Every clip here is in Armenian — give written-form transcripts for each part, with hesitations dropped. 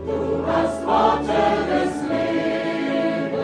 Du hast Worte des Lebens.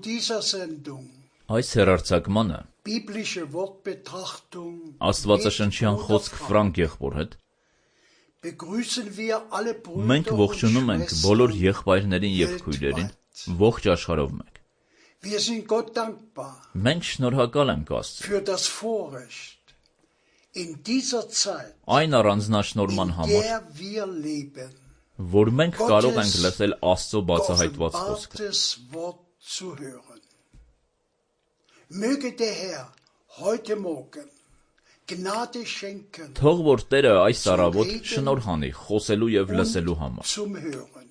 dieser Sendung Այս հեռարձակմանը biblische Wortbetrachtung Աստվածաշնչյան խոսք Ֆրանկ եղբոր հետ begrüßen wir alle մենք Brüder und ողջունում ենք բոլոր եղբայրներին եւ քույրերին ողջ աշխարհով մեկ։ Wir sind Gott dankbar Մենք շնորհակալ ենք Աստծուն für das Vorrecht in dieser Zeit, այն առանձնաշնորհման in համար, der wir leben, որ մենք կարող ենք լսել Աստծո բացահայտված խոսքը։ geoffenbartes Wort zu hören. Möge der Herr heute Morgen Gnade schenken Թող որ Տերը այս առավոտ շնորհ անի խոսելու եւ լսելու համար։ zum Hören.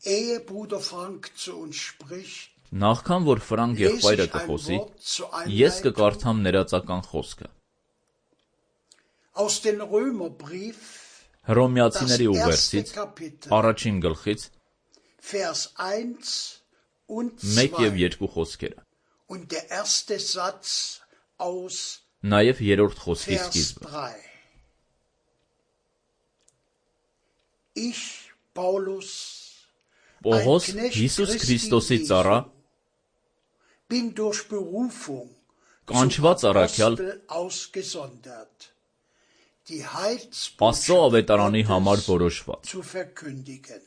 Ehe Bruder Frank zu uns spricht, Նախքան որ Ֆրանկ lese եղբայրը ich ein կխոսի, Wort zur ես Einleitung կկարդամ ներածական խոսքը։ aus dem Römerbrief, Հռոմեացիների das erste ուղերձից Kapitel, առաջին գլխից Vers 1 und 1 եւ 2 2 խոսքերը, und der erste Satz aus նաեւ երրորդ խոսքի Vers սկիզբը։ 3. Ich, Paulus, Պողոս ein Knecht Հիսուս Christi Քրիստոսի Jesu, ծառա, bin durch Berufung կանչված zum առաքյալ, Apostel ausgesondert, die Աստծո ավետարանի Heilsbotschaft համար Gottes որոշված։ zu verkündigen,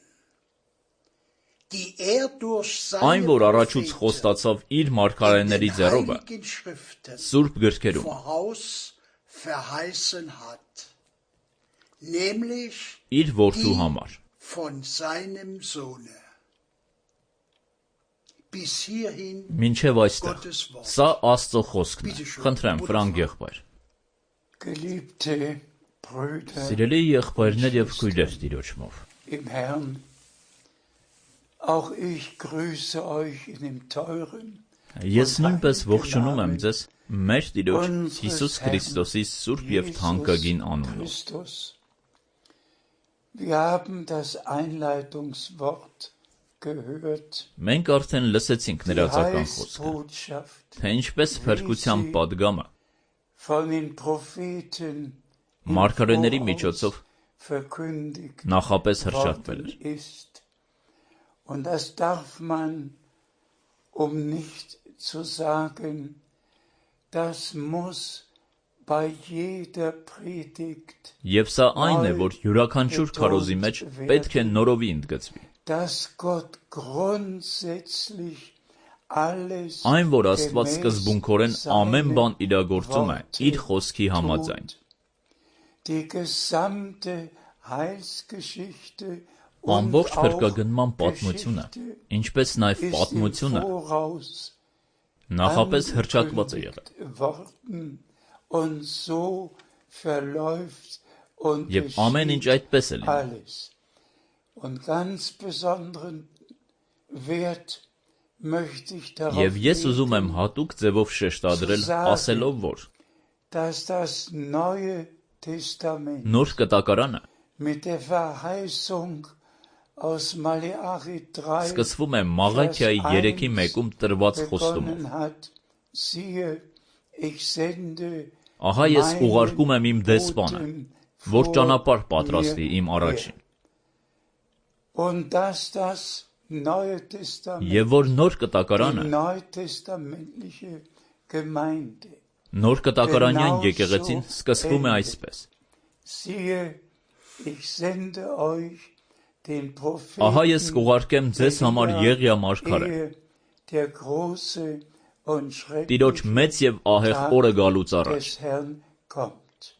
die durch Այն, seine որ առաջուց Propheten խոստացավ իր in մարգարեների den ձեռովը, Heiligen Schriften Սուրբ գրքերում, voraus verheißen hat, nämlich իր որդու die համար։ von seinem Sohne. Bis hierhin Մինչև այստեղ։ Gottes Wort. Սա Աստծո խոսքն է։ Խնդրեմ, Ֆրանկ եղբայր։ Geliebte Brüder Սիրելի եղբայրներ եւ քույրեր Տիրոջմով։ im Herrn, auch ich grüße euch in dem teuren Ես նույնպես ողջունում եմ ձեզ մեր Տիրոջ Հիսուս Քրիստոսի սուրբ եւ թանկագին անունով։ Christus. Wir haben das Einleitungswort gehört, Մենք արդեն լսեցինք die ներածական խոսքը, Heilsbotschaft թե ինչպես փրկության падգամը von den Propheten մարգարեների միջոցով verkündigt նախապես հրճակվել worden էր։ ist. Und das darf man, nicht zu sagen, das muss bei jeder Predigt, Եվ սա այն է, որ յուրաքանչյուր քարոզի մեջ պետք է նորովի ընդգծվի։ dass Gott grundsätzlich alles Այն, որ Աստված gemäß սկզբունքորեն ամեն seinem բան իրագործում է Worte իր խոսքի համաձայն։ tut. Die gesamte Heilsgeschichte und Ամբողջ auch փրկագնման պատմությունը, Geschichte ինչպես նաև ist im պատմությունը Voraus նախապես հրճակված է եղել։ angekündigt worden und so verläuft und Եվ ամեն ինչ geschieht այդպես է լինում։ alles. Und ganz besonderen Wert möchte ich darauf Եվ ես ուզում եմ legen, հատուկ ձևով շեշտադրել, ասելով, որ dass das Neue Testament նոր կտակարանը mit der Verheißung aus Maleachi 3 սկսվում է Մաղաքիայի 3:1-ում տրված խոստումով։ begonnen hat. Siehe, ich sende Ահա ես meinen ուղարկում եմ իմ դեսպանը, Boten որ vor ճանապարհ պատրաստի mir իմ առաջին։ Und dass das Neue Testament, Եվ որ nոր die կտակարանը, neutestamentliche Gemeinde, նոր կտակարանյան եկեղեցին սկսվում է այսպես. siehe, ich sende euch den Ահա ես Propheten, կուղարկեմ ձեզ համար Եղիա մարգարե, ehe der große und Տիրոջ schreckliche մեծ եւ ահեղ օրը գալուց առաջ։ des Herrn kommt.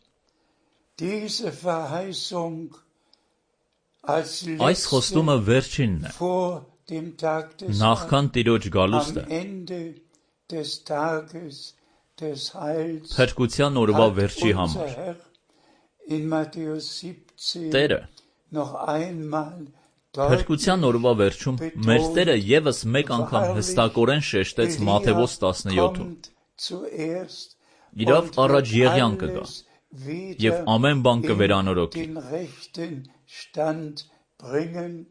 Diese Verheißung als Այս խոստումը letzte վերջինն է, vor dem Tag des նախքան Տիրոջ գալուստը, am Ende des Tages des Heils փրկության օրվա hat վերջի unser համար։ Herr in Matthäus 17 Տերը noch einmal փրկության օրվա վերջում մեր Տերը եւս մեկ անգամ հստակորեն շեշտեց Մատթեոս 17-ում. kommt zuerst Իրավ und առաջ wird Եղիան կգա alles wieder եւ ամեն բան in կվերանորոգի։ den rechten Stand bringen.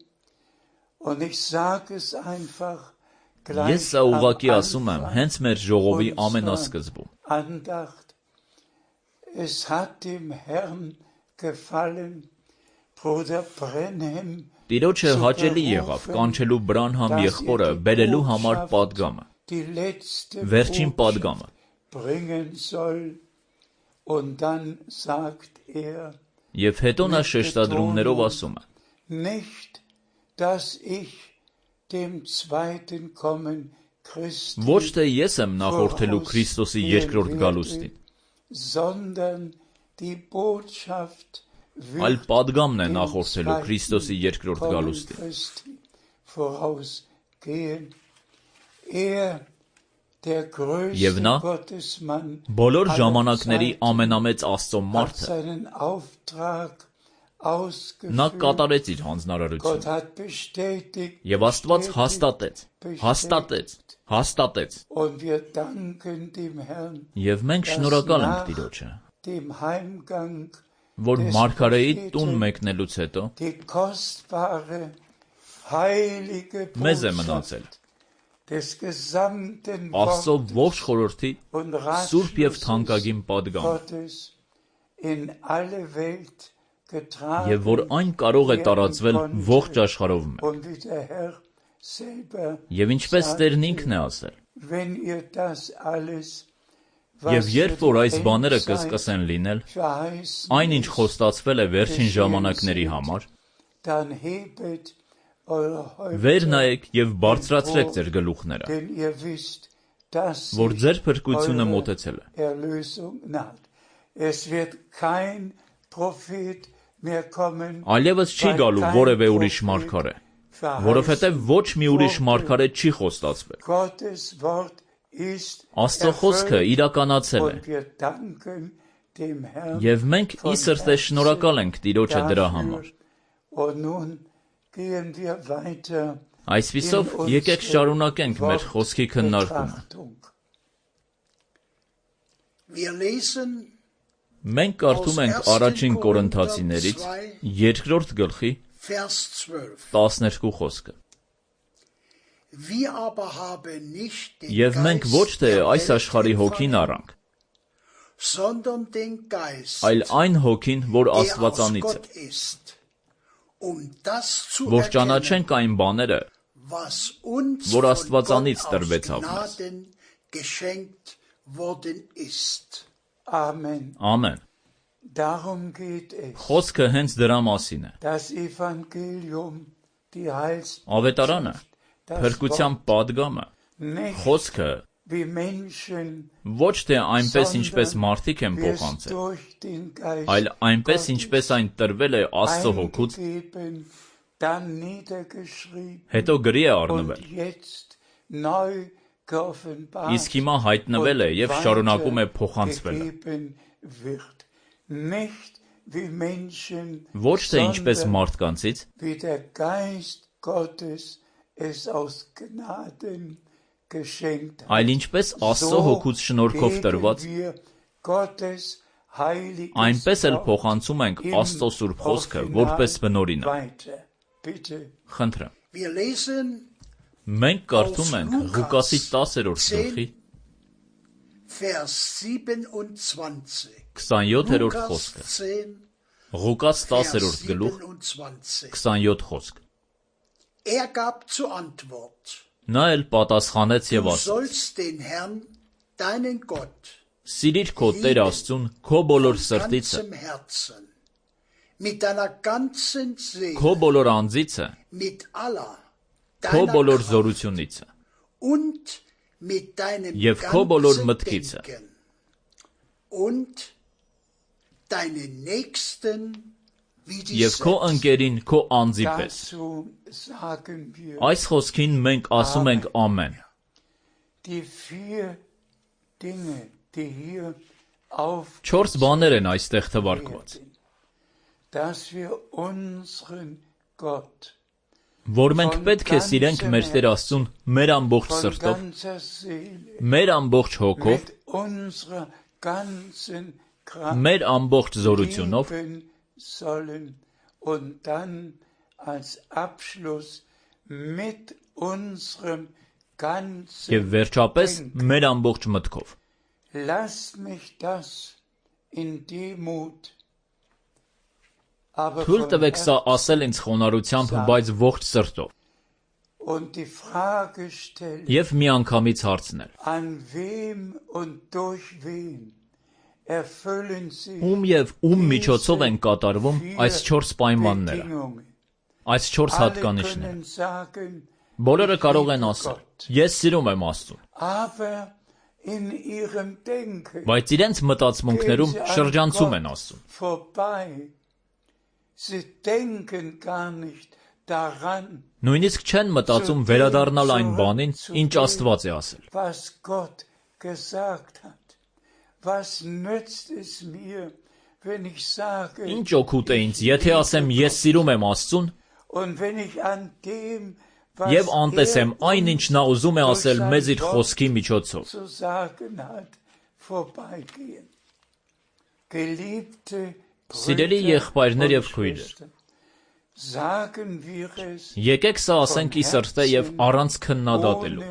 Und ich sage es einfach Ես gleich սա am ուղղակի ասում եմ Anfang հենց մեր ժողովի unserer ամենասկզբում։ Andacht. Es hat dem Herrn gefallen, Bruder Brenhem Տիրոջը հաճելի եղավ կանչելու Բրանհամ եղբորը բերելու համար պատգամը, վերջին պատգամը։ Եվ հետո նա շեշտադրումներով ասում է. Ոչ թե ես եմ նախորդելու Քրիստոսի երկրորդ գալուստին, այլ պատգամն է նախորդելու Քրիստոսի երկրորդ գալուստին։ Եվ նա բոլոր ժամանակների ամենամեծ Աստծո մարդը, նա կատարեց իր հանձնարարությունը, և Աստված հաստատեց, և մենք շնորհակալ ենք Տիրոջը, որ մարգարեի տուն մեկնելուց հետո մեզ է մնացել Աստծո ողջ խորհրդի սուրբ և թանկագին պատգամը, և որ այն կարող է տարածվել ողջ աշխարհով մեկ։ Եվ ինչպես Տերն ինքն է ասել. Եվ երբ որ այս բաները կսկսեն լինել, այն ինչ խոստացվել է վերջին ժամանակների համար, վեր նայեք և բարձրացրեք ձեր գլուխները, որ ձեր փրկությունը մոտեցել է։ Այլևս չի գալու որևէ ուրիշ մարգարե, որովհետև ոչ մի ուրիշ մարգարե չի խոստացվել։ Աստծո խոսքը իրականացել է, և մենք ի սրտե շնորհակալ ենք Տիրոջը դրա համար։ Այսպիսով, եկեք շարունակենք մեր խոսքի քննարկումը։ Մենք կարդում ենք առաջին Կորինթացիներից 2-րդ գլխի 12 խոսքը։ Եվ մենք ոչ թե այս աշխարհի հոգին առանք, այլ այն հոգին, որ Աստվածանից է, որ ճանաչենք այն բաները, որ Աստվածանից տրվեցավ մեզ։ Ամեն։ Խոսքը հենց դրա մասին է։ Ավետարանը, փրկության պատգամը, խոսքը ոչ թե այնպես, ինչպես մարդիկ են փոխանցել, այլ այնպես, ինչպես այն տրվել է Աստծո հոգուց, հետո գրի է առնվել, իսկ հիմա հայտնվել է և շարունակում է փոխանցվելը։ Ոչ թե ինչպես մարդկանցից, այլ ինչպես Աստծո հոգուց շնորհքով տրված, այնպես էլ փոխանցում ենք Աստծո սուրբ խոսքը որպես բնօրինակ։ Խնդրեմ։ Մենք կարդում ենք Ղուկասի 10-րդ գլխի 27-րդ խոսքը։ Ղուկաս 10-րդ գլուխ 27 խոսք։ Նա էլ պատասխանեց և ասաց. Սիրիր քո Տեր Աստծուն քո բոլոր սրտիցը, քո բոլոր անձիցը, քո բոլոր զորությունիցը և քո բոլոր մտքիցը, և քո ընկերին քո անձի պես։ Այս խոսքին մենք ասում ենք ամեն։ 4 բաներ են այստեղ թվարկված, որ մենք պետք է սիրենք մեր Տեր Աստծուն մեր ամբողջ սրտով, մեր ամբողջ հոգով, մեր ամբողջ զորությունով և վերջապես մեր ամբողջ մտքով։ Թույլ տվեք սա ասել ինձ խոնարհությամբ, բայց ողջ սրտով։ Եվ միանգամից հարցնել. Ում և ում միջոցով են կատարվում այս 4 պայմանները, այս 4 հատկանիշները։ Բոլորը կարող են ասել. ես սիրում եմ Աստծուն, բայց իրենց մտածմունքներում շրջանցում են Աստծուն։ Նույնիսկ չեն մտածում վերադառնալ այն բանին, ինչ Աստված է ասել։ Ինչ օգուտ է ինձ, եթե ասեմ ես սիրում եմ Աստծուն, և անտեսեմ այն, ինչ նա ուզում է ասել մեզ իր խոսքի միջոցով։ Սիրելի եղբայրներ և քույրեր, եկեք սա ասենք ի սրտե և առանց քննադատելու։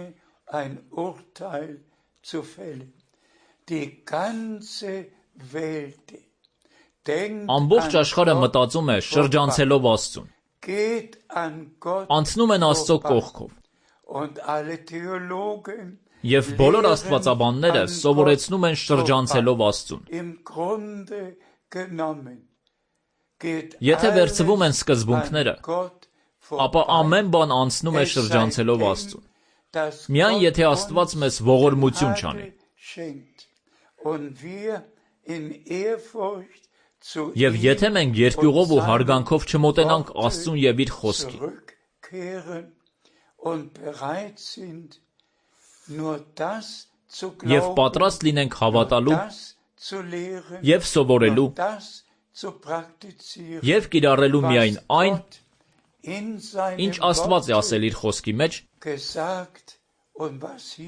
Ամբողջ աշխարհը մտածում է շրջանցելով Աստծուն, անցնում են Աստծո կողքով, և բոլոր աստվածաբանները սովորեցնում են շրջանցելով Աստծուն։ Եթե վերցվում են սկզբունքները, ապա ամեն բան անցնում է շրջանցելով Աստծուն։ Միայն եթե Աստված մեզ ողորմություն չանի։ Եվ եթե մենք երկյուղով ու հարգանքով չմոտենանք Աստծուն և իր խոսքին, և պատրաստ լինենք հավատալու և սովորելու և կիրառելու միայն այն, ինչ Աստված է ասել իր խոսքի մեջ,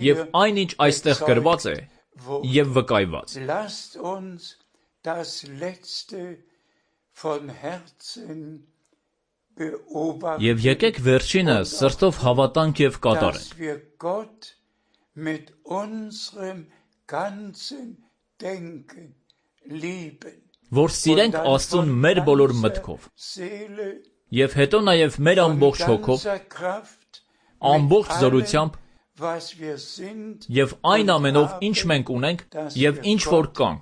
և այն, ինչ այստեղ գրված է և վկայված։ Եվ եկեք վերջինը սրտով հավատանք և կատարենք, որ սիրենք Աստծուն մեր բոլոր մտքով, և հետո նաև մեր ամբողջ հոգով, ամբողջ զորությամբ և այն ամենով, ինչ մենք ունենք և ինչ որ կանք,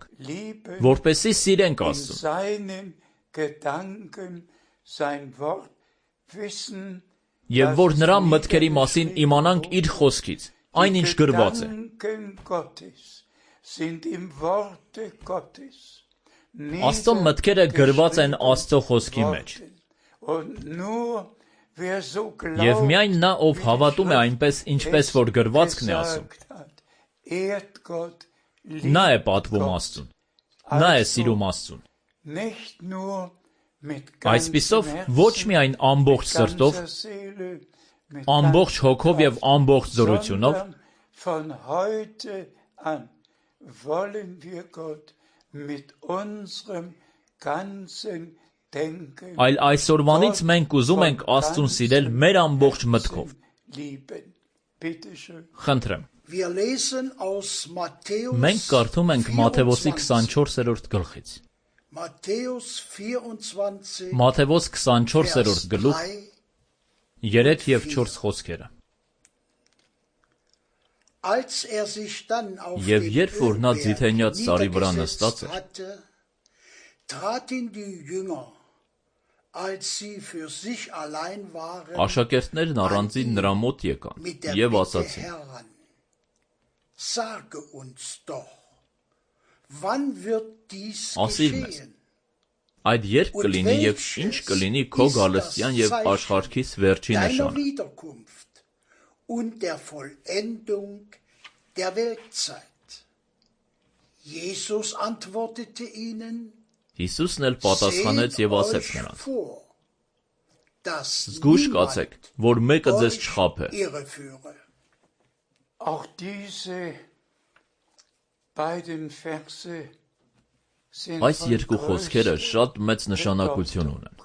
որպեսզի սիրենք Աստծուն, և որ նրա մտքերի մասին իմանանք իր խոսքից, այն ինչ գրված է։ Աստծո մտքերը գրված են Աստծո խոսքի մեջ։ Եվ միայն նա, ով հավատում է այնպես, ինչպես որ գրվածքն է ասում, նա է պատվում Աստծուն, նա է սիրում Աստծուն։ Այսպիսով, ոչ միայն ամբողջ սրտով, ամբողջ հոգով և ամբողջ զորությունով, այլ այսօրվանից մենք ուզում ենք Աստծուն սիրել մեր ամբողջ մտքով։ Խնդրեմ։ Մենք կարդում ենք Մատթեոս 24-րդ գլխից։ Մատթեոս 24-րդ գլուխ 3 և 4 խոսքերը։ Եվ երբ որ նա ձիթենյաց ծառի վրա նստած էր, աշակերտներն առանձին նրա մոտ եկան և ասացին. ասիր մեզ, այդ երբ կլինի և ինչ կլինի քո գալստյան և աշխարհքիս վերջի նշանը։ Հիսուսն էլ պատասխանեց և ասեց նրանց. զգույշ կացեք, որ մեկը ձեզ չխաբե։ Այս երկու խոսքերը շատ մեծ նշանակություն ունեն։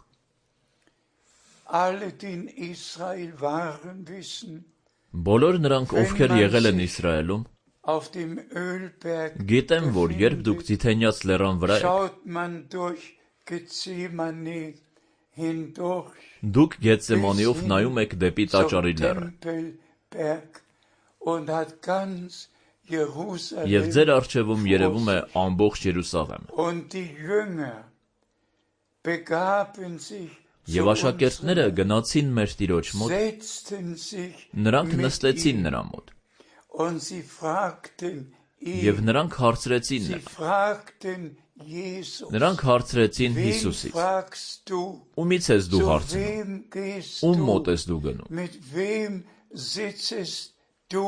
Բոլոր նրանք, ովքեր եղել են Իսրայելում, գիտեն, որ երբ դուք ձիթենյաց լեռան վրա եք, Gethsemane hindurch Դուք Գեթսեմանիով նայում եք դեպի zum Տաճարի լեռը, Tempelberg und hat ganz եւ Jerusalem ձեր առջևում երևում է ամբողջ Երուսաղեմը։ und die Jünger begaben sich Եվ աշակերտները գնացին մեր Տիրոջ մոտ, setzten sich նրանք mit նստեցին ihm նրա մոտ, und sie fragten եւ ihn, նրանք հարցրեցին sie նրան։ fragten Jesus, Նրանք հարցրեցին wen Հիսուսից. fragst du, Ումից ես դու zu հարցնում, wem gehst ում du, մոտ ես դու գնում, mit wem sitzest du,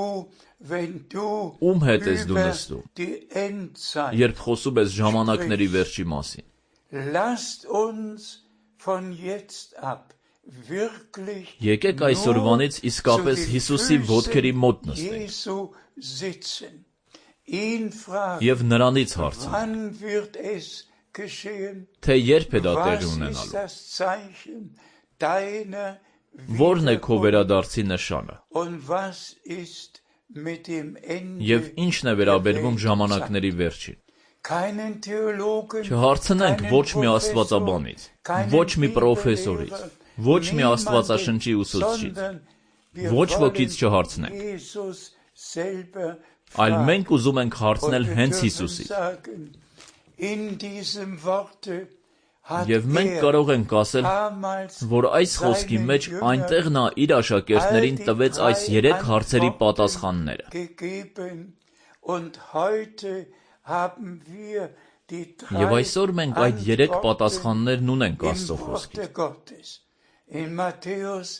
wenn du ում հետ ես դու über նստում, die Endzeit. երբ խոսում ես ժամանակների վերջի մասին։ Lasst uns von jetzt ab wirklich Եկեք այսօրվանից իսկապես Հիսուսի ոտքերի մոտ նստենք Jesu sitzen. Ihn fragen, եւ նրանից հարցնենք, wann wird es geschehen? թե երբ է դա տեղի Was ist ունենալու, das Zeichen deiner որն է քո Wiederkunft? վերադարձի նշանը Und was ist mit dem Ende? եւ ինչն է վերաբերվում ժամանակների վերջին։ Keinen Theologen, Չհարցնենք keinen ոչ մի Professor, աստվածաբանից, keinen ոչ մի պրոֆեսորից, Bibellehrer, ոչ մի niemanden, աստվածաշնչի ուսուցչից, sondern wir ոչ wollen ոքից չհարցնենք, Jesus selber այլ fragen. մենք ուզում ենք հարցնել Und wir հենց dürfen Հիսուսից։ sagen, in diesem Worte hat Եվ մենք կարող ենք ասել, damals որ այս խոսքի seinen մեջ Jüngern այնտեղ նա իր աշակերտներին all die տվեց այս drei 3 հարցերի Antworten պատասխանները։ gegeben. Und heute haben wir die Եվ drei այսօր մենք այդ 3 Antworten պատասխաններն ունենք im Աստծո խոսքից։ Worte Gottes. In Matthäus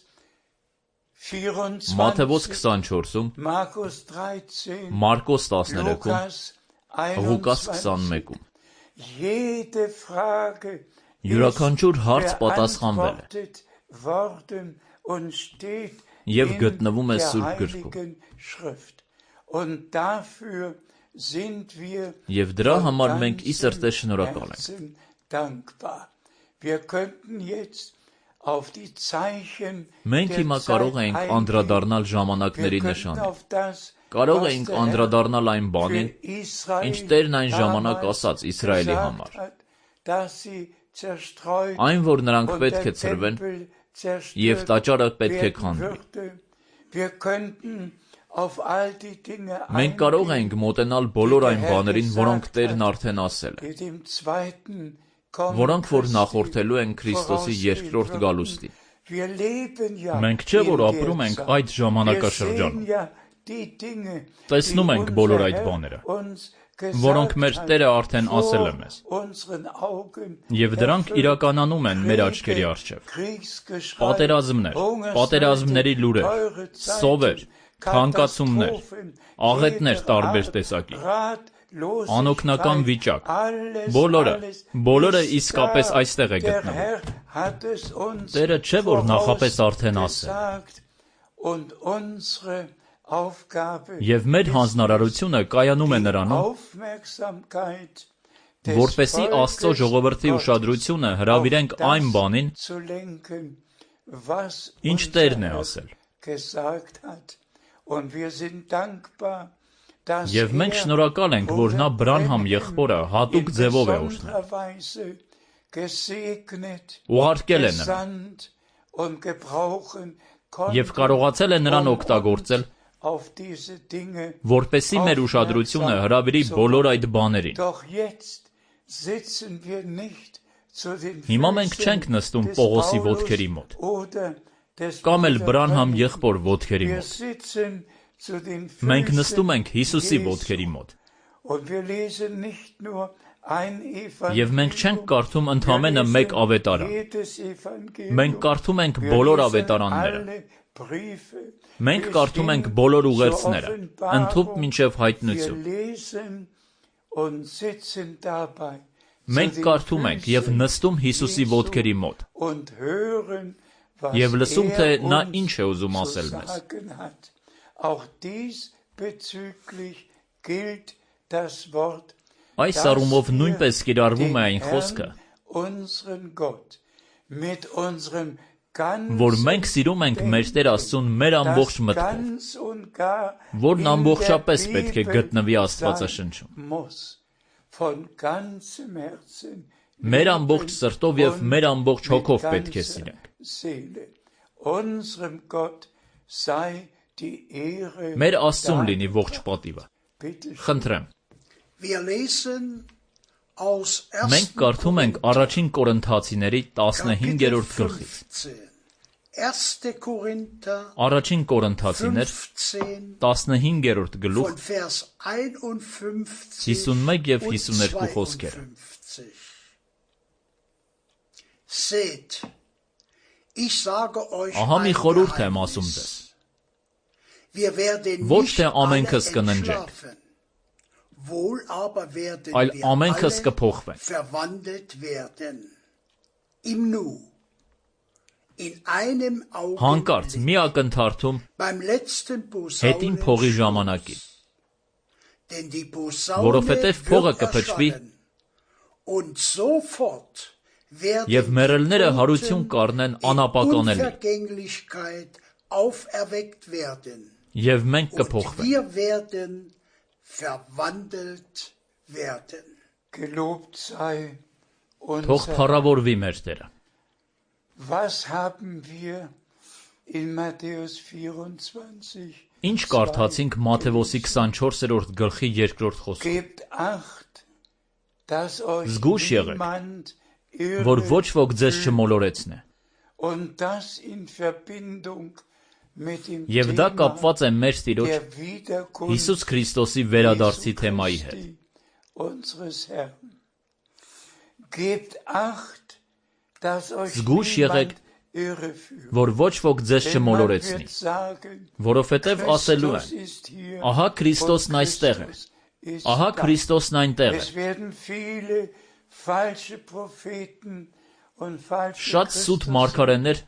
24, Մատթեոս 24-ում, Markus 13, Մարկոս 13-ում, Lukas Ղուկաս 21. 21-ում։ Jede Frage Յուրաքանչյուր հարց ist պատասխանվել է beantwortet worden und steht եւ in գտնվում է der Սուրբ գրքում։ Heiligen Schrift. Und dafür sind wir Եվ դրա von համար մենք ի սրտե ganzem շնորհակալ ենք։ Herzen dankbar. Wir könnten jetzt auf die Zeichen Մենք der հիմա Zeit կարող ենք eingehen. անդրադառնալ Wir ժամանակների könnten նշանին։ auf das, Կարող was ենք der Herr անդրադառնալ այն բանին, für Israel ինչ Տերն այն ժամանակ damals ասաց Իսրայելի gesagt համար։ hat, dass sie zerstreut Այն, որ նրանք und պետք է der ցրվեն Tempel եւ zerstört տաճարը պետք է werden քանդվի։ würde. Wir könnten auf all die Dinge Մենք կարող eingehen, ենք մոտենալ բոլոր այն բաներին, որոնք Տերն արդեն ասել է, die dem zweiten Kommen որոնք որ Christi նախորդելու են Քրիստոսի երկրորդ vorausgehen գալուստին։ würden. Wir leben ja Մենք չէ որ in der ապրում ենք Zeit. այդ Wir ժամանակաշրջանում։ sehen ja die Dinge, Տեսնում die ենք unser բոլոր այդ Herr բաները, uns որոնք gesagt մեր hat, Տերը արդեն ասել է vor մեզ, unseren Augen եւ դրանք erfüllt. իրականանում են մեր աչքերի Kriege, առջև։ Kriegsgeschrei, Պատերազմներ, Hungersnöte, պատերազմների լուրեր, teure Zeiten, սովեր, թանկացումներ, Katastrophen, աղետներ jeder տարբեր Art, տեսակի, Ratlosigkeit, անօգնական վիճակ, alles, բոլորը, alles բոլորը ist իսկապես da. այստեղ է Der գտնվում։ Herr hat es uns Տերը չէ որ նախապես արդեն ասել։ vorausgesagt und unsere Aufgabe Եվ մեր հանձնարարությունը կայանում է die նրանում, Aufmerksamkeit des որպեսզի Աստծո Volkes ժողովրդի Gottes ուշադրությունը auf հրավիրենք այն das բանին, zu lenken, was ինչ unser Տերն է Herr ասել։ gesagt hat. Und wir sind dankbar, dass Եվ մենք շնորհակալ ենք, որ նա Բրանհամ եղբորը հատուկ ձևով է օրհնել։ Ուղարկել է նրան gesandt und gebrauchen եւ konnte, կարողացել է նրան օգտագործել, auf diese Dinge. որպեսզի մեր ուշադրությունը հրավիրի բոլոր այդ բաներին։ Doch jetzt sitzen wir nicht zu den Հիմա մենք չենք Füßen նստում des Պողոսի Paulus ոտքերի մոտ, oder des կամ էլ Bruder Բրանհամ Branham. եղբոր ոտքերի Wir մոտ։ sitzen zu den Մենք Füßen նստում ենք Հիսուսի Jesu. ոտքերի մոտ։ Und wir lesen nicht nur ein Եվ մենք չենք Evangelium, կարդում wir ընդամենը մեկ lesen ավետարան։ jedes Evangelium. Մենք կարդում ենք Wir բոլոր lesen ավետարանները։ alle Briefe. Մենք bis կարդում ենք hin բոլոր zur ուղերձները, ընդհուպ Offenbarung. մինչև Wir հայտնություն։ lesen und sitzen dabei zu Մենք den կարդում ենք եւ Füßen նստում Հիսուսի Jesu ոտքերի մոտ und hören, was եւ լսում թե նա uns ինչ է ուզում zu ասել մեզ։ sagen hat. Auch diesbezüglich gilt das Wort, Այս dass առումով wir նույնպես կիրառվում է den այն խոսքը, Herrn, unseren Gott, mit unserem ganzen որ մենք սիրում ենք մեր Տեր Աստծուն մեր ամբողջ das մտքով, ganz und gar որն in ամբողջապես der պետք է Bibel գտնվի sein Աստվածաշնչում։ muss. Von ganzem Herzen Մեր ամբողջ սրտով եւ մեր ամբողջ հոգով պետք է սիրենք։ Մեր Աստծուն լինի ողջ պատիվը։ Խնդրեմ։ Մենք կարդում ենք առաջին Կորինթացիների 15-րդ գլխից։ Առաջին Կորինթացիներ 15-րդ գլուխ 51 եւ 52 խոսքերը։ Ահա մի խորհուրդ եմ ասում ձեզ. ոչ թե ամենքս կննջենք, այլ ամենքս կփոխվենք։ Հանկարծ մի ակնթարթում հետին փողի ժամանակին, որովհետև փողը կփչվի և մեռելները հարություն կառնեն անապականելի, և մենք կփոխվենք։ Թող փառավորվի մեր Տերը։ Ինչ կարդացինք Մատթեոսի 24-րդ գլխի 2-րդ խոսքում։ Զգույշ եղեք, որ ոչ ոք ձեզ չմոլորեցնե։ Եվ դա կապված է մեր Տիրոջ Հիսուս Քրիստոսի վերադարձի թեմայի հետ։ Զգույշ եղեք, որ ոչ ոք ձեզ չմոլորեցնի, որովհետև ասելու են. ահա Քրիստոսն այստեղ է, ահա Քրիստոսն այնտեղ է։ Շատ սուտ մարգարեներ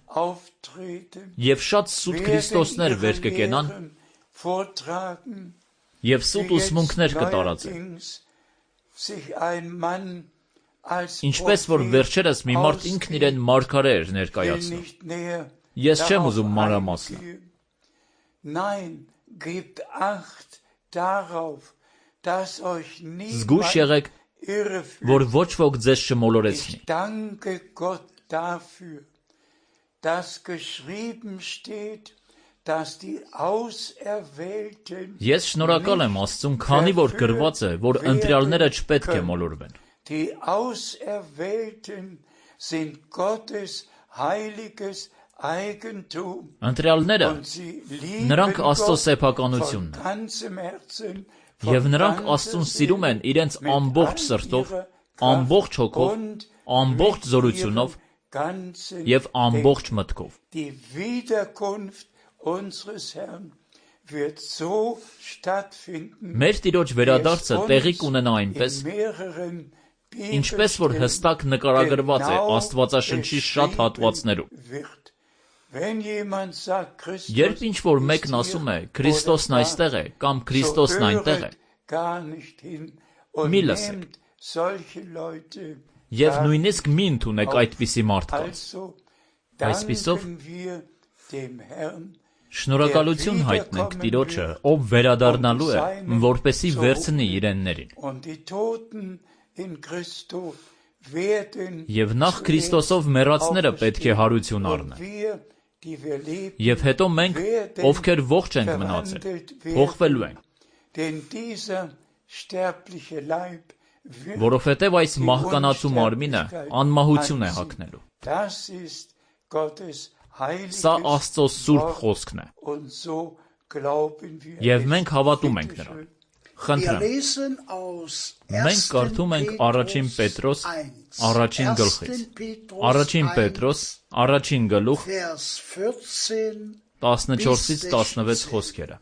և շատ սուտ Քրիստոսներ վեր կկենան և սուտ ուսմունքներ կտարածեն։ Ինչպես որ վերջերս մի մարդ ինքն իրեն մարգարե էր ներկայացնում։ Ես չեմ ուզում մանրամասնել։ Զգույշ եղեք, որ ոչ ոք ձեզ չմոլորեցնի։ Ես շնորհակալ եմ Աստծուն, քանի որ գրված է, որ ընտրյալները չպետք է մոլորվեն։ Ընտրյալները նրանք Աստծո սեփականությունն են, և նրանք Աստծուն սիրում են իրենց ամբողջ սրտով, ամբողջ հոգով, ամբողջ զորությունով և ամբողջ մտքով։ Մեր Տիրոջ վերադարձը տեղի կունենա այնպես, ինչպես որ հստակ նկարագրված է Աստվածաշնչի շատ հատվածներում։ Երբ ինչ-որ մեկն ասում է Քրիստոսն այստեղ է կամ Քրիստոսն այնտեղ է, մի լսեք և նույնիսկ մի ընդունեք այդպիսի մարդկանց։ Այսպիսով շնորհակալություն հայտնենք Տիրոջը, ով վերադառնալու է, որպեսզի վերցնի իրեններին։ Եվ նախ Քրիստոսով մեռածները պետք է հարություն առնեն։ Եվ հետո մենք, ովքեր ողջ ենք մնացել, փոխվելու ենք։ Որովհետև այս մահկանացու մարմինը անմահություն է հագնելու։ Սա Աստծո սուրբ խոսքն է։ Եվ մենք հավատում ենք նրան։ Խնդրեմ, մենք կարդում ենք առաջին Պետրոս առաջին գլխից։ Առաջին Պետրոս առաջին գլուխ 14-ից 16 խոսքերը։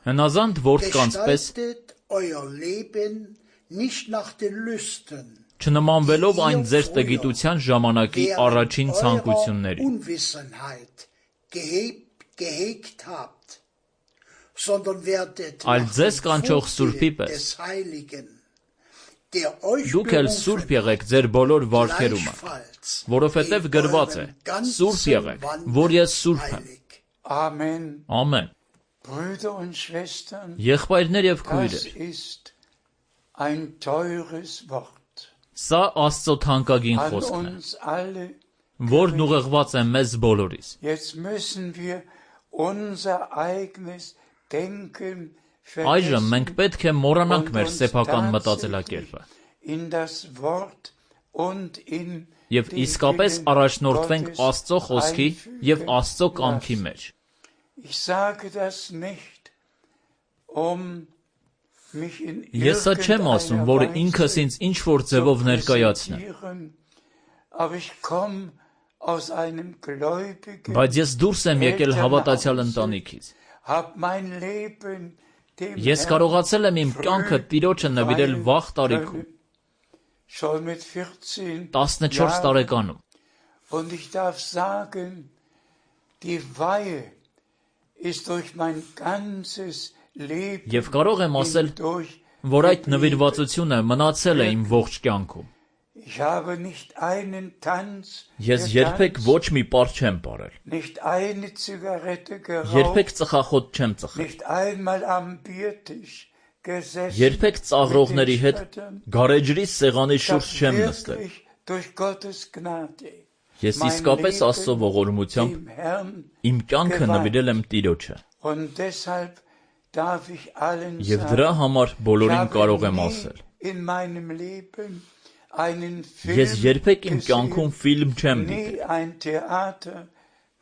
Հնազանդ որդկանց պես չնմանվելով այն ձեր տգիտության ժամանակի առաջին ցանկություններին, այլ ձեզ կանչող Սուրբի պես, դուք էլ սուրբ եղեք ձեր բոլոր վարքերումը, որովհետև գրված է. սուրբ եղեք, որ ես սուրբ եմ։ Ամեն։ Եղբայրներ և քույրեր, ein teures Wort. Սա Աստծո թանկագին An խոսքն է, uns alle. որն ուղղված է մեզ բոլորիս։ Jetzt müssen wir unser eigenes Denken Այժմ մենք vergessen պետք է մոռանանք und մեր uns սեփական tatsächlich մտածելակերպը in das Wort und in եւ den իսկապես Willen առաջնորդվենք Gottes Աստծո խոսքի եւ einfügen Աստծո կամքի lassen. մեջ։ Ich sage das nicht, um mich in Ես սա չեմ ասում, որ ինքս ինձ ինչ-որ ձևով ներկայացնեմ, präsentieren, aber ich komme aus einem gläubigen, բայց ես դուրս եմ եկել հավատացյալ ընտանիքից։ hab mein Leben dem Ես Herrn կարողացել եմ իմ կյանքը Տիրոջը նվիրել վաղ տարիքում, schon mit 14 14 Jahren. տարեկանում, Und ich darf sagen, die Weihe ist durch mein ganzes Leben եւ կարող եմ ասել, hindurch որ այդ geblieben. նվիրվածությունը մնացել է իմ ողջ կյանքում։ Ich habe nicht einen Tanz Ես երբեք getanzt, ոչ մի պար չեմ ապրել, nicht eine Zigarette geraucht, երբեք ծխախոտ չեմ ծխել, nicht einmal am Biertisch gesessen, երբեք ծաղրողների mit den հետ Spöttern. գարեջրի սեղանի Ich շուրջ habe չեմ նստել։ wirklich durch Gottes Gnade Ես mein իսկապես Աստծո Leben ողորմությամբ dem Herrn իմ կյանքը նվիրել եմ Տիրոջը und deshalb darf ich allen եւ դրա sagen, համար ich բոլորին կարող habe եմ nie ասել։ in meinem Leben einen Ես Film երբեք իմ կյանքում gesehen, ֆիլմ չեմ nie դիտել, ein Theater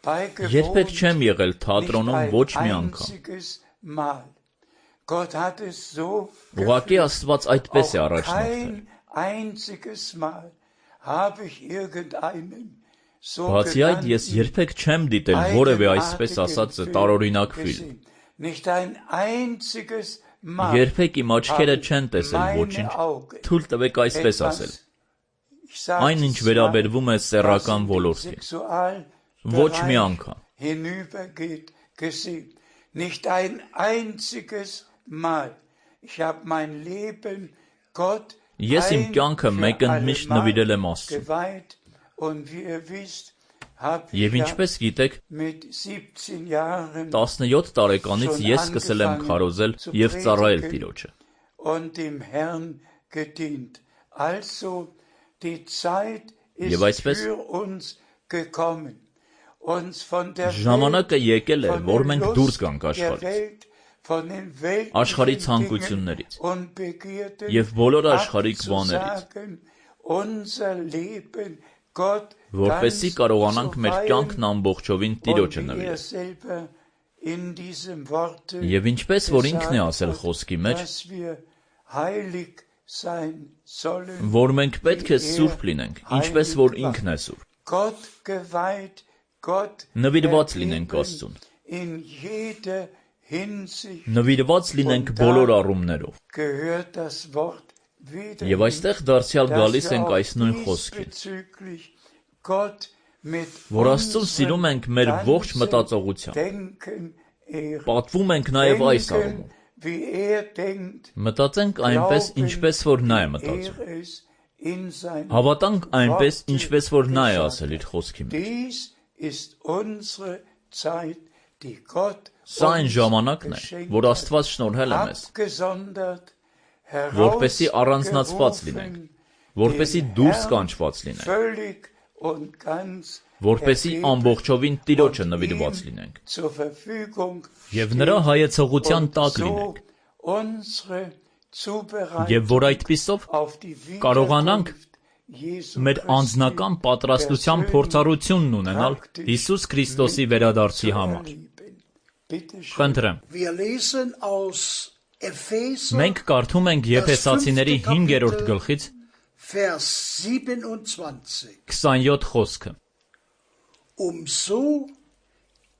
երբեք beigewohnt, չեմ եղել nicht թատրոնում ein ոչ մի անգամ։ einziges Mal. Gott hat es so Ուղղակի geführt. Աստված այդպես է Auch առաջնորդվել։ kein einziges Mal habe ich irgendeinen Բացի այդ, ես երբեք չեմ դիտել որևէ այսպես ասած տարօրինակ ֆիլմ։ Nicht ein einziges Mal Երբեք իմ աչքերը haben չեն տեսել meine ոչինչ։ Augen Թույլ տվեք այսպես ասել։ ich sage Այն ինչ es վերաբերվում է mal, սեռական was in den ոլորտին, Sexualbereich ոչ մի անգամ։ hinübergeht, gesehen. Nicht ein einziges Mal. Ich habe mein Leben Gott Ես իմ ein կյանքը für մեկ ընդմիշտ allemal նվիրել եմ Աստծուն։ geweiht. Und wie ihr wisst, habe Եվ ich ja ինչպես գիտեք, mit 17 Jahren 17 տարեկանից ես սկսել եմ քարոզել եւ ծառայել Տիրոջը։ und dem Herrn gedient. Also die Zeit ist Եվ այսպես für uns gekommen. Uns von der ժամանակը եկել է, von որ der մենք Lust դուրս գանք der աշխարհից Welt, von den աշխարհի weltlichen ցանկություններից Dingen und Begierden եւ բոլոր աշխարհիկ բաներից, abzusagen, unser Leben Gott որպեսզի ganz կարողանանք zu մեր weihen. կյանքն ամբողջովին Und Տիրոջը wie er նվիրել։ selber in diesem Worte Եվ ինչպես որ ինքն է gesagt ասել hat, խոսքի մեջ, dass wir heilig sein sollen, որ մենք պետք է սուրբ լինենք, ինչպես որ ինքն է սուրբ։ Gott geweiht, Gott Նվիրված լինենք ergeben Աստծուն, in jeder Hinsicht նվիրված լինենք բոլոր առումներով։ gehört das Wort wieder Եվ այստեղ դարձյալ dass գալիս wir ենք auch այս նույն խոսքին, diesbezüglich Gott mit որ Աստծուն սիրում ենք մեր ողջ ganzem մտածողությամբ։ Denken ehren. Պատվում ենք նաև այս առումով։ Denken, wie er denkt, Մտածենք այնպես, glauben, ինչպես որ նա է wie մտածում։ er es in seinem Հավատանք այնպես, Worte ինչպես որ նա է gesagt ասել իր խոսքի մեջ։ Dies ist unsere Zeit, die Gott Սա այն uns ժամանակն է, geschenkt որ hat, Աստված շնորհել է մեզ, abgesondert, որպեսզի առանձնացված լինենք, herausgerufen, որպեսզի dem դուրս Herrn կանչված լինենք, völlig und ganz որպեսզի ergeben ամբողջովին Տիրոջը und նվիրված ihm լինենք, zur Verfügung եւ նրա stehen հայեցողության und տակ so լինենք, unsere եւ որ Zubereitung այդպիսով auf die կարողանանք Wiederkunft Jesu մեր Christi անձնական պատրաստության persönlich փորձառությունն ունենալ praktisch Հիսուս Քրիստոսի վերադարձի zu համար։ erleben. Bitte schön. Խնդրեմ, Wir lesen aus Epheser, մենք կարդում ենք Եփեսացիների 5-րդ գլխից Vers 27. 27 խոսքը, So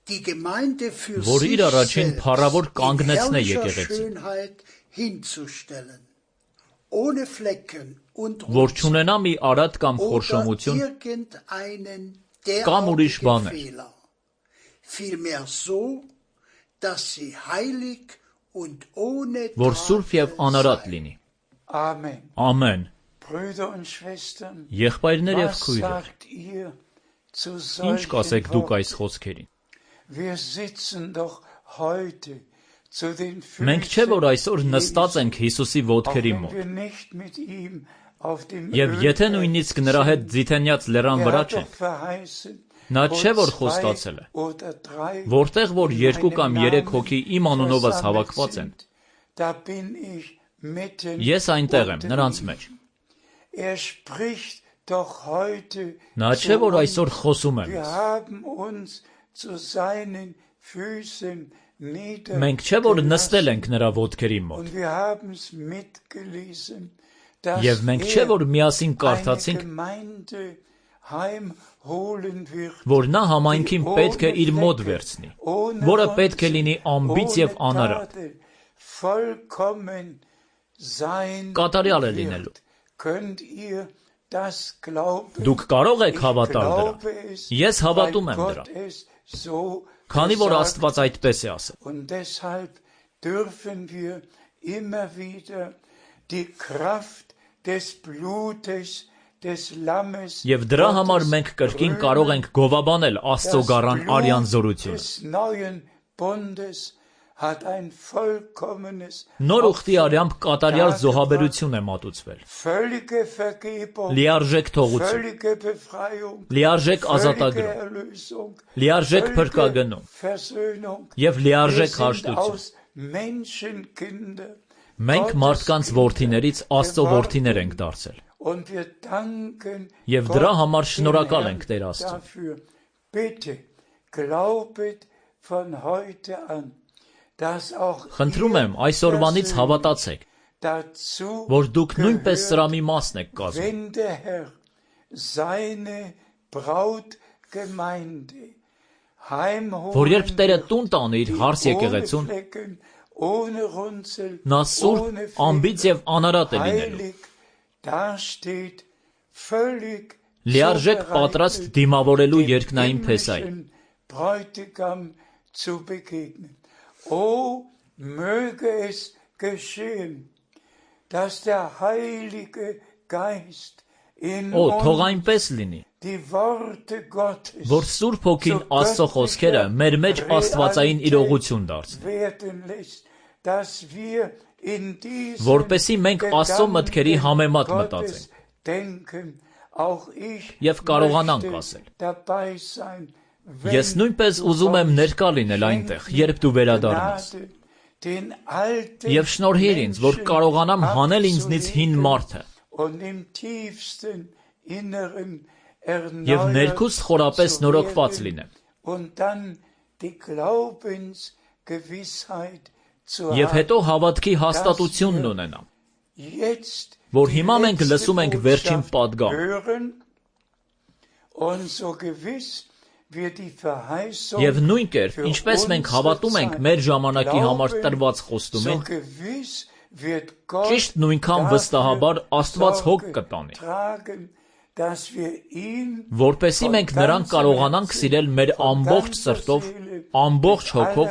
die Gemeinde für որ sich իր առաջին selbst փառավոր in կանգնեցնե herrlicher եկեղեցին, Schönheit hinzustellen, ohne Flecken und որ Runzeln չունենա մի արատ կամ oder խորշոմություն irgendeinen Կամ ուրիշ derartigen բաներ, Fehler, vielmehr so, dass sie heilig und ohne որ սուրբ եւ Tadel անարատ seien. լինի։ Amen. Ամեն։ Brüder und Schwestern, Եղբայրներ եւ was քույրեր, sagt ihr zu ինչ solchen կասեք դուք այս Worten? խոսքերին։ Wir sitzen doch heute Մենք չէ որ այսօր նստած ենք Հիսուսի ոտքերի մոտ։ Եվ եթե նույնիսկ նրա հետ Ձիթենյաց լեռան վրա չենք, նա չէ որ խոստացել է, որտեղ որ 2 կամ 3 հոգի իմ անունովս հավաքված են, ես այնտեղ եմ նրանց մեջ։ Նա չէ որ այսօր խոսում է մեզ։ Մենք չէ որ նստել ենք նրա ոտքերի մոտ։ Եվ մենք չէ որ միասին կարդացինք, որ նա համայնքին պետք է իր մոտ վերցնի, որը պետք է լինի անբիծ եւ անարատ։ Կատարյալ է լինելու։ Դուք կարող եք հավատալ դրան։ Ես հավատում եմ դրան, քանի որ Աստված այդպես է ասել։ Եվ դրա համար մենք կրկին կարող ենք գովաբանել Աստծո գառան արյան զորությունը։ Նոր ուխտի արյամբ կատարյալ զոհաբերություն է մատուցվել։ Լիարժեք թողություն, լիարժեք ազատագրում, լիարժեք փրկագնում եւ լիարժեք հաշտություն։ Մենք մարդկանց որդիներից Աստծո որդիներ ենք դարձել։ Եվ դրա համար շնորհակալ ենք Տեր Աստծուն։ Խնդրում եմ այսօրվանից հավատացեք, որ դուք նույնպես սրամի մասն եք կազմում։ Որ երբ Տերը տուն տանի իր հարս եկեղեցուն, նա սուրբ, անբիծ եւ անարատ է լինելու։ Լիարժեք պատրաստ դիմավորելու երկնային փեսային։ Möge es geschehen, dass der Heilige Geist in թող այնպես լինի, որ Սուրբ Հոգին Աստծո խոսքերը մեր մեջ աստվածային իրողություն դարձնի, որպեսզի մենք Աստծո մտքերի համեմատ մտածենք եւ կարողանանք ասել. Ես նույնպես ուզում եմ ներկա լինել այնտեղ, երբ դու վերադառնաս, եւ շնորհիր ինձ, որ կարողանամ հանել ինձնից հին մարդը եւ ներքուստ խորապես նորոգված լինեմ, եւ հետո հավատքի հաստատությունն ունենամ, որ հիմա մենք լսում ենք վերջին պատգամ, եւ նույն կերպ, ինչպես մենք հավատում ենք մեր ժամանակի համար տրված խոստումին, ճիշտ նույնքան վստահաբար Աստված հոգ կտանի, որպեսզի մենք նրան կարողանանք սիրել մեր ամբողջ սրտով, ամբողջ հոգով,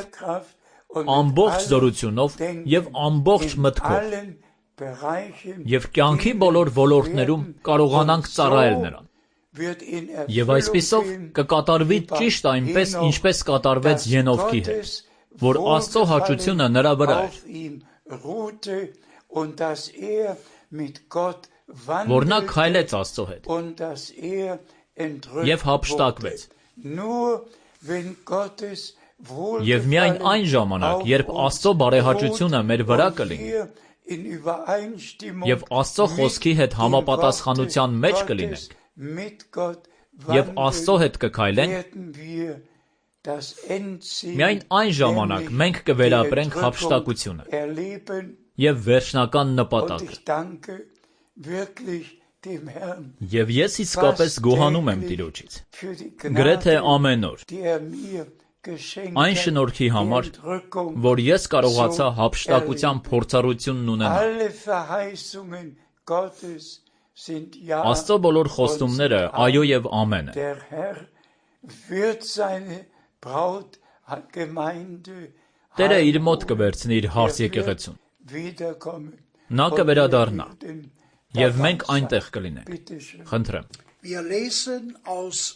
ամբողջ զորությունով եւ ամբողջ մտքով, եւ կյանքի բոլոր ոլորտներում կարողանանք ծառայել նրան։ Եվ այսպիսով կկատարվի ճիշտ այնպես, ինչպես կատարվեց Ենովքի հետ, որ Աստծո հաճությունը նրա վրա էր, որ նա քայլեց Աստծո հետ եւ հափշտակվեց։ Եվ միայն այն ժամանակ, երբ Աստծո բարեհաճությունը մեր վրա կլինի եւ Աստծո խոսքի հետ համապատասխանության մեջ կլինենք, եւ Աստծո հետ կքայլենք, միայն այն ժամանակ մենք կվերապրենք հափշտակությունը եւ վերջնական նպատակը։ Եվ ես իսկապես գոհանում եմ Տիրոջից, գրեթե ամեն օր, այն շնորհքի համար, որ ես կարողացա հափշտակության փորձառությունն ունենալ։ Աստծո բոլոր խոստումները այո եւ ամեն են։ Տերը իր մոտ կվերցնի իր հարս եկեղեցուն։ Նա կվերադառնա, եւ մենք այնտեղ կլինենք։ Խնդրեմ։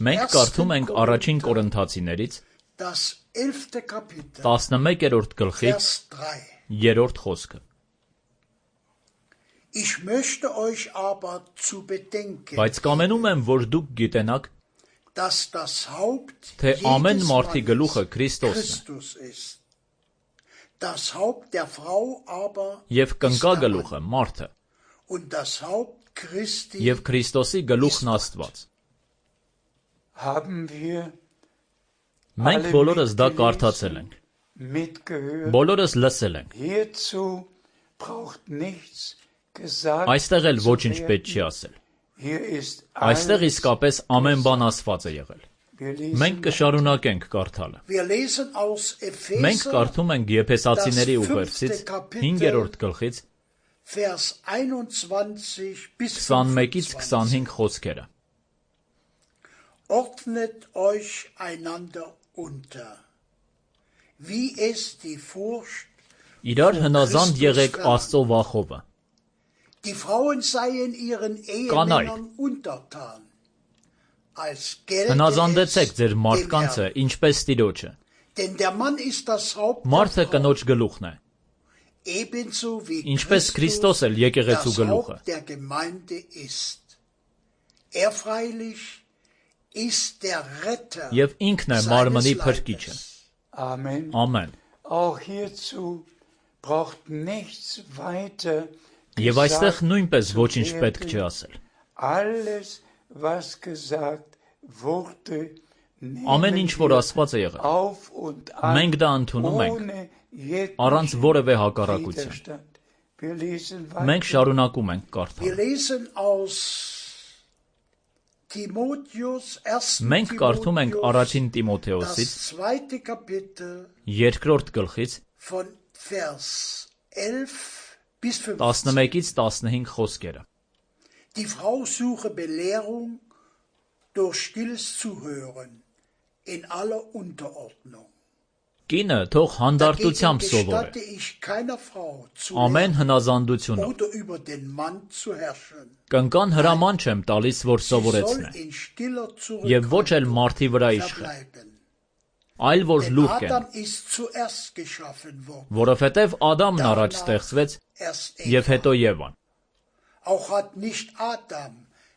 Մենք կարդում ենք առաջին Կորինթացիներից das 11. Kapitel, 11-րդ գլխից Vers 3. 3-րդ խոսքը։ Ich möchte euch aber zu bedenken, Բայց կամենում եմ, որ դուք գիտենաք, dass das Haupt թե ամեն jedes մարդի գլուխը Mannes Քրիստոսն է, Christus ist. Das Haupt der Frau aber եւ ist կնկա der Mann. գլուխը մարդը, Und das Haupt Christi եւ Քրիստոսի գլուխն Աստված։ Haben wir Մենք բոլորս դա կարդացել ենք, mitgehört? բոլորս լսել ենք։ Hierzu braucht nichts gesagt. Այստեղ էլ ոչինչ պետք չի ասել։ Hier ist Այստեղ alles. իսկապես ամեն բան ասված է եղել։ Wir Մենք lesen կշարունակենք կարդալը։ Wir lesen aus Մենք Epheser, կարդում ենք Եփեսացիների ուղերձից 5-րդ գլխից Vers 21 bis 21-ից 25. 25 խոսքերը։ Ordnet euch einander unter, wie es die Furcht, Իրար հնազանդ եղեք Աստծո վախովը։ die Frauen seien ihren Ehemännern untertan, als gelte Հնազանդեցեք es ձեր dem մարդկանցը, Herrn. ինչպես Տիրոջը։ Denn der Mann ist das Haupt Մարդը der Frau, կնոջ գլուխն է, ebenso wie ինչպես Քրիստոս էլ եկեղեցու das գլուխը։ Haupt der Gemeinde ist. Er freilich ist der Retter Եվ ինքն է մարմնի փրկիչը։ Leibes. Amen. Ամեն։ Auch hierzu braucht nichts weiter Եվ այստեղ gesagt նույնպես zu ոչինչ պետք werden. չի ասել։ Alles, was gesagt wurde, Ամեն ինչ, որ ասված է եղել, auf und an, մենք դա ընդունում ենք, ohne jeglichen առանց որևէ հակառակության։ Widerstand. Wir lesen Մենք weiter. շարունակում ենք Wir կարդալ։ lesen aus Timotheus, 1. Մենք կարդում ենք Timotheus, առաջին Տիմոթեոսից das 2. Kapitel 2-րդ գլխից von Vers 11 bis 15. 11-ից 15 խոսքերը։ Die Frau suche Belehrung durch stilles Zuhören in aller Unterordnung. Կինը թող Dagegen հանդարտությամբ սովորե, gestatte ich keiner Frau zu ամեն lehren հնազանդությունով։ oder über den Mann zu herrschen. Կնկան հրաման չեմ տալիս, որ Sie soll սովորեցնե, in stiller եւ ոչ էլ Zurückhaltung մարդի վրա իշխե, verbleiben. այլ որ Denn լուռ կեն, Adam ist zuerst geschaffen worden, որովհետեւ Ադամն առաջ ստեղծվեց erst եւ Eva. հետո Եվան։ Auch hat nicht Adam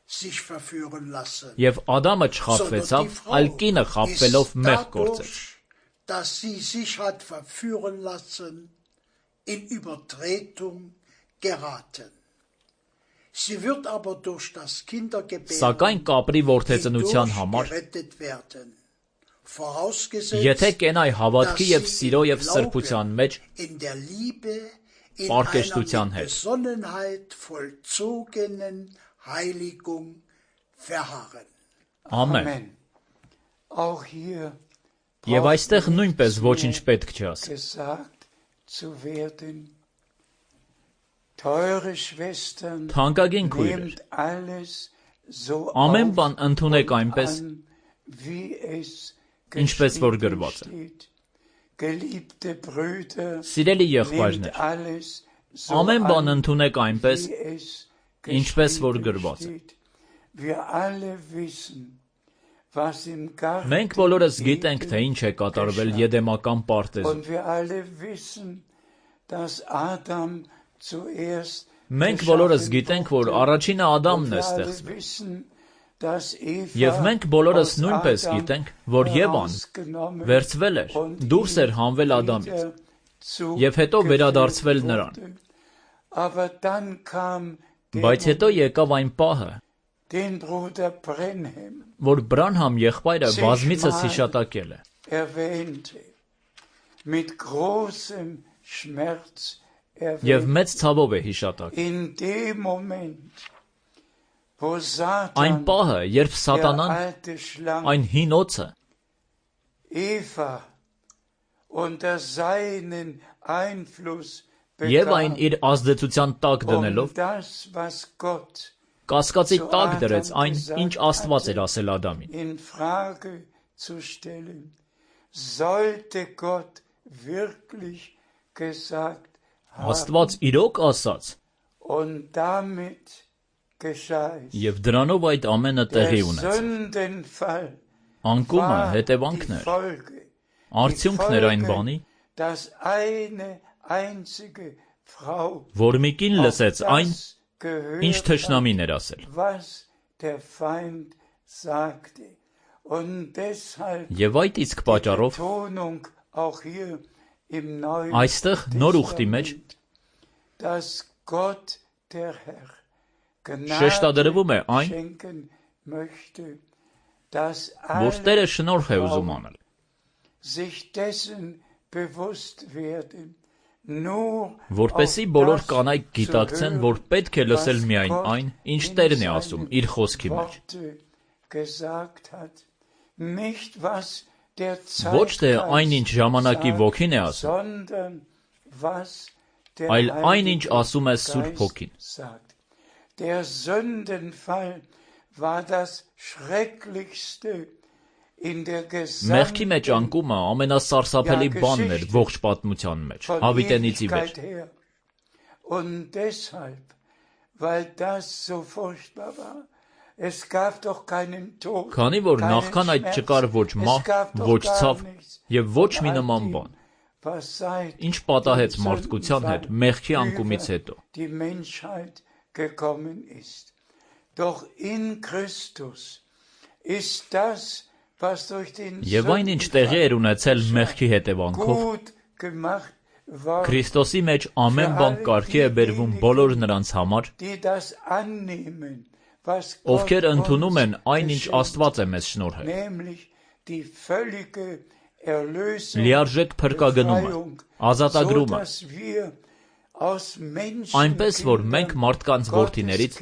sich verführen lassen, Եվ Ադամը sondern չխաբվեցավ, die Frau այլ կինը խաբվելով ist մեղ գործեց։ dadurch, dass sie sich hat verführen lassen, in Übertretung geraten. Sie wird aber durch das Սակայն Kindergebären կապրի որդեծնության hindurch համար, gerettet werden. եթե Vorausgesetzt, կենայ հավատքի dass եւ sie սիրո im եւ սրբության Glauben, մեջ, in der Liebe, in Պարկեշտության einer mit հետ։ Besonnenheit vollzogenen Heiligung verharren. ամեն։ Amen. Auch hier Եվ braucht այստեղ նույնպես nichts ոչինչ mehr պետք չի ասել։ gesagt zu werden. Teure Schwestern, Թանկագին քույրեր, nehmt alles so ամեն auf բան ընդունեք und այնպես, an, wie es ինչպես որ geschrieben գրված է։ steht. Geliebte Brüder, Սիրելի nehmt եղբայրներ, alles so ամեն բան an, ընդունեք այնպես, wie es ինչպես որ geschrieben գրված է։ steht. Wir alle wissen, was im Garten Մենք բոլորս գիտենք, թե Eden ինչ է կատարվել geschah. Եդեմական պարտեզում։ Und wir alle wissen, dass Adam zuerst Մենք բոլորս geschaffen գիտենք, որ wurde. առաջինը Ադամն Und է wir alle ստեղծվել։ wissen, dass Eva Եվ մենք բոլորս aus նույնպես Adam գիտենք, որ Եվան herausgenommen վերցվել էր, und դուրս էր ihm հանվել Ադամից, wieder zugeführt եւ հետո վերադարձվել նրան։ wurde. Aber dann kam der Բայց հետո Moment, եկավ այն պահը, den Bruder Brenhem որ Բրանհամ եղբայրը բազմիցս հիշատակել է, erwähnte, mit großem Schmerz եւ erwähnte. մեծ ցավով է հիշատակել։ In dem Moment, wo Այն Satan, պահը, երբ der Սատանան, alte Schlange, այն հին օծը, Eva unter seinen Einfluss եւ այն bekam, իր ազդեցության տակ դնելով, das, was Gott կասկածի zu տակ Adam դրեց այն, gesagt ինչ Աստված էր hatte, ասել Ադամին։ in Frage zu stellen. Sollte Gott wirklich gesagt haben, Աստված իրոք ասաց, und damit geschah es. եւ դրանով այդ ամենը Der տեղի ունեց։ Sündenfall Անկումը war հետևանքն die էր, Folge. Արդյունքն էր այն բանի, որ մի կին լսեց այն, ինչ թշնամին էր ասել։ Եվ այդ իսկ պատճառով այստեղ նոր ուխտի մեջ շեշտադրվում է այն, որ Տերը շնորհ է ուզում անել։ Որպեսզի բոլոր կանայք գիտակցեն, որ պետք է լսել միայն այն, ինչ Տերն է ասում իր խոսքի մեջ։ Ոչ թե այն, ինչ ժամանակի ոգին է ասում, այլ այն, ինչ ասում է Սուրբ Հոգին։ Մեղքի մեջ անկումը ամենասարսափելի բանն էր ողջ պատմության մեջ, Հավիտենից ի վեր։ Քանի որ նախքան այդ չկար ոչ մահ, ոչ ցավ և ոչ մի նման բան, ինչ պատահեց մարդկության հետ մեղքի անկումից հետո։ Եվ այն, ինչ տեղի էր ունեցել մեղքի հետևանքով, Քրիստոսի մեջ ամեն բան կարգի է բերվում բոլոր նրանց համար, ովքեր ընդունում են այն, ինչ Աստված է մեզ շնորհել։ Լիարժեք փրկագնումը, ազատագրումը, այնպես, որ մենք մարդկանց որդիներից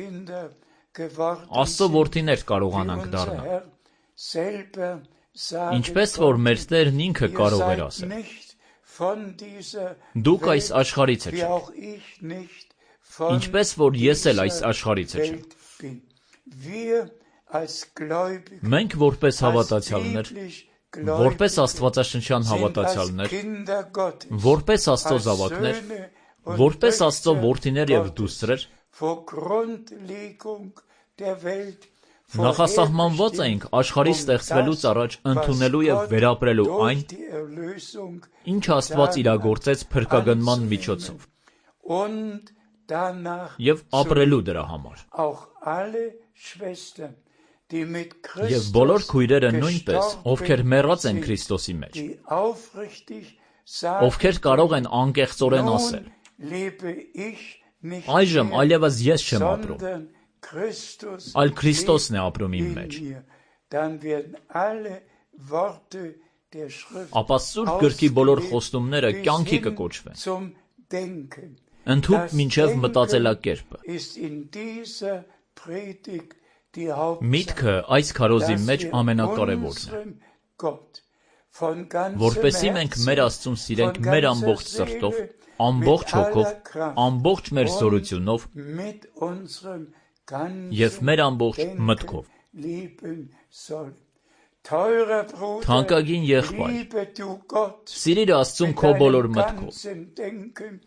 Աստծո որդիներ կարողանանք դառնալ։ Ինչպես որ մեր Տերն ինքը կարող էր ասել. դուք այս աշխարհից եք, ինչպես որ ես էլ այս աշխարհից չեմ։ Մենք որպես հավատացյալներ, որպես աստվածաշնչյան հավատացյալներ, որպես Աստծո զավակներ, որպես Աստծո որդիներ և դուստրեր, նախասահմանված էինք աշխարհի ստեղծվելուց առաջ ընդունելու և վերապրելու այն, ինչ Աստված իրագործեց փրկագնման միջոցով, և ապրելու դրա համար։ Եվ բոլոր քույրերը նույնպես, ովքեր մեռած են Քրիստոսի մեջ, ովքեր կարող են անկեղծորեն ասել. այժմ այլևս ես չեմ ապրում, այլ Քրիստոսն է ապրում իմ մեջ, ապա Սուրբ Գրքի բոլոր խոստումները կյանքի կկոչվեն, ընդհուպ մինչև մտածելակերպը։ Միտքը այս քարոզի մեջ ամենակարևորն է, որպեսզի մենք մեր Աստծուն սիրենք մեր ամբողջ սրտով, ամբողջ հոգով, ամբողջ մեր զորությունով և մեր ամբողջ մտքով։ Թանկագին եղբայր, սիրիր Աստծուն քո բոլոր մտքով,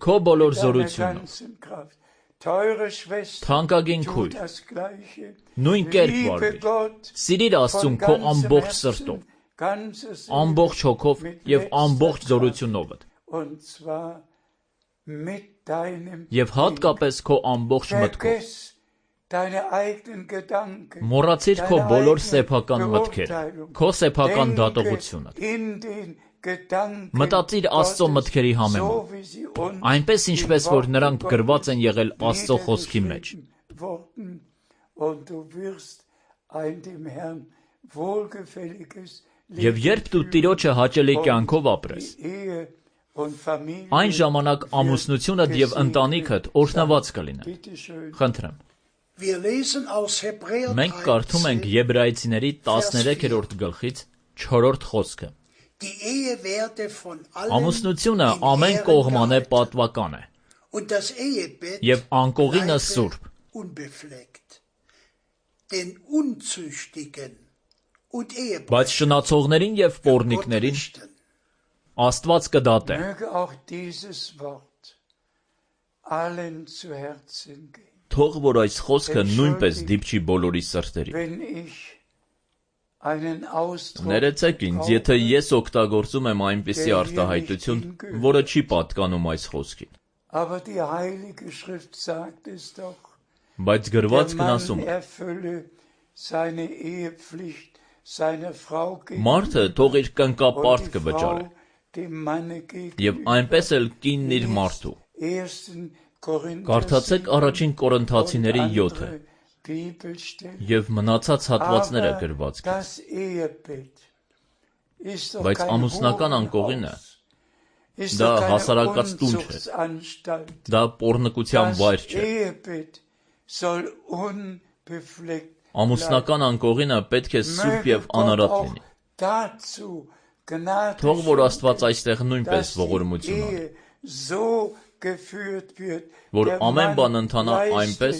քո բոլոր զորությունով։ Թանկագին քույր, նույն կերպ վարվիր, սիրիր Աստծուն քո ամբողջ սրտով, ամբողջ հոգով և ամբողջ զորությունովդ, և հատկապես քո ամբողջ մտքով։ Մոռացիր քո բոլոր սեփական մտքերը, քո սեփական դատողությունը։ Մտածիր Աստծո մտքերի համեմատ, այնպես ինչպես որ նրանք գրված են եղել Աստծո խոսքի մեջ։ Եվ երբ դու Տիրոջը հաճելի կյանքով ապրես, այն ժամանակ ամուսնությունդ և ընտանիքդ օրհնված կլինեն։ Խնդրեմ։ Մենք կարդում ենք Եբրայեցիների 13-րդ գլխից 4-րդ խոսքը։ Ամուսնությունը ամեն կողմանե պատվական է, և անկողինը սուրբ։ Բայց շնացողներին և պոռնիկներին Աստված կդատե։ Թող որ այս խոսքը նույնպես դիպչի բոլորի սրտերին։ Ներեցեք ինձ, եթե ես օգտագործում եմ այնպիսի արտահայտություն, որը չի պատկանում այս խոսքին։ Բայց գրվածքն ասում է. Մարդը թող իր կնկապարտ կվճարե, եւ այնպես էլ կինն իր մարդու։ Կարդացեք առաջին Կորինթացիների 7-ը եւ մնացած հատվածները գրվածքից։ Բայց ամուսնական անկողինը դա հասարակած տուն չէ, դա պոռնկության վայր չէ։ Ամուսնական անկողինը պետք է սուրբ եւ անարատ լինի։ Թող որ Աստված այստեղ նույնպես ողորմություն ունի, որ ամեն բան ընթանա այնպես,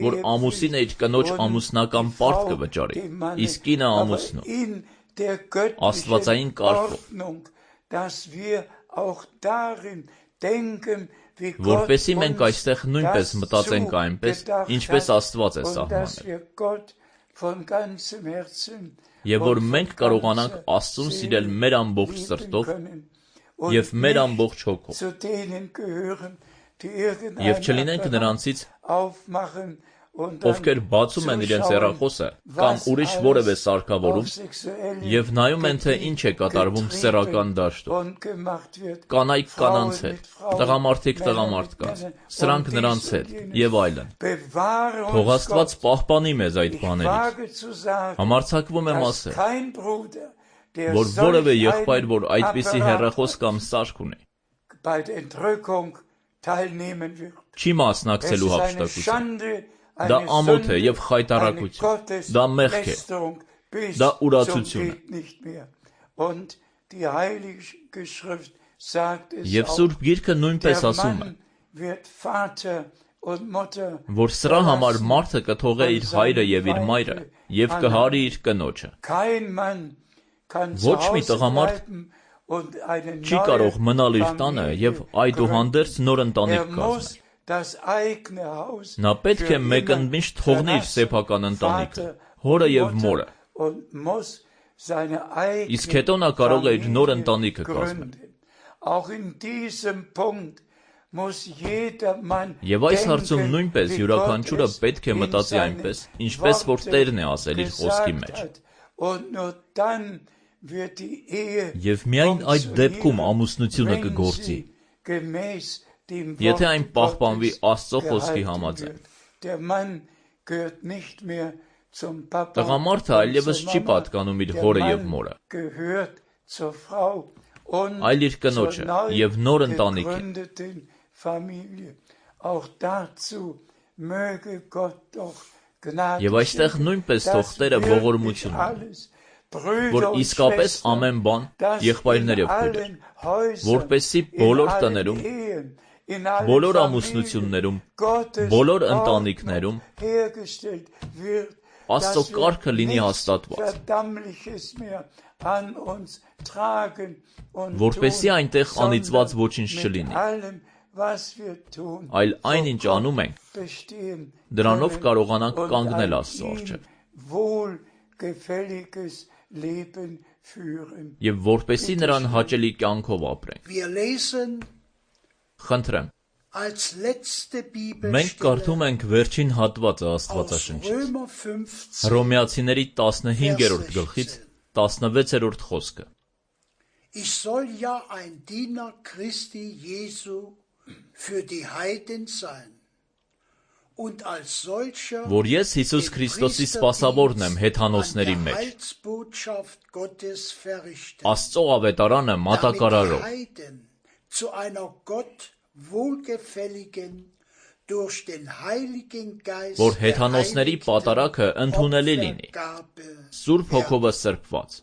որ ամուսինը իր կնոջ ամուսնական պարտ կվճարի, իսկ կինը ամուսնու, աստվածային կարգով, որպեսզի մենք այստեղ նույնպես մտածենք այնպես, ինչպես Աստված է սահմանել, եւ որ մենք կարողանանք Աստծուն սիրել մեր ամբողջ սրտով եւ մեր ամբողջ հոգով, եւ չլինենք նրանցից, ովքեր բացում են իրենց հեռախոսը կամ ուրիշ որևէ սարքավորում եւ նայում են, թե ինչ է կատարվում սեռական դաշտում, կանայք կանանց հետ, տղամարդիկ տղամարդկանց, սրանք նրանց հետ եւ այլն։ Թող Աստված պահպանի մեզ այդ բաներից։ Համարձակվում եմ ասել, որ որևէ եղբայր, որ այդպիսի հեռախոս կամ սարք ունի, չի մասնակցելու հափշտակության։ Դա ամոթ է եւ խայտառակություն, դա մեղք է, դա ուրացություն է։ Եվ Սուրբ Գիրքը նույնպես ասում է, որ սրա համար մարդը կթողե իր հայրը եւ իր մայրը եւ կհարի իր կնոջը։ Ոչ մի տղամարդ չի կարող մնալ իր տանը եւ այդուհանդերձ նոր ընտանիք կազմել։ Նա պետք է մեկընդմիշտ թողնի իր սեփական ընտանիքը, հորը եւ մորը, իսկ հետո նա կարող է իր նոր ընտանիքը կազմել։ Եվ այս հարցում նույնպես յուրաքանչյուրը պետք է մտածի այնպես, ինչպես որ Տերն է ասել իր խոսքի մեջ։ Եվ միայն այդ դեպքում ամուսնությունը կգործի, եթե այն պահպանվի Աստծո խոսքի համաձայն։ Տղամարդը այլևս չի պատկանում իր հորը եւ մորը, այլ իր կնոջը եւ նոր ընտանիքին։ Եվ այստեղ նույնպես թող Տերը ողորմություն ունի, որ իսկապես ամեն բան, եղբայրներ եւ քույրեր, որպեսզի բոլոր տներում, բոլոր ամուսնություններում, բոլոր ընտանիքներում Աստծո կարգը լինի հաստատված, որպեսզի այնտեղ անիծված ոչինչ չլինի, այլ այն, ինչ անում ենք, դրանով կարողանանք կանգնել Աստծո առջև եւ որպեսզի նրան հաճելի կյանքով ապրենք։ Խնդրեմ, մենք կարդում ենք վերջին հատվածը Աստվածաշնչից, Հռոմեացիների 15-րդ գլխից 16-րդ խոսքը։ Ich soll ja ein Diener Christi Jesu für die Heiden sein und als solcher որ ես Հիսուս Քրիստոսի սպասավորն եմ հեթանոսների մեջ, Աստծո ավետարանը մատակարարով, zu einer Gott wohlgefälligen durch den Heiligen Geist որ հեթանոսների պատարագը ընդունելի լինի, Սուրբ Հոգովը սրբված։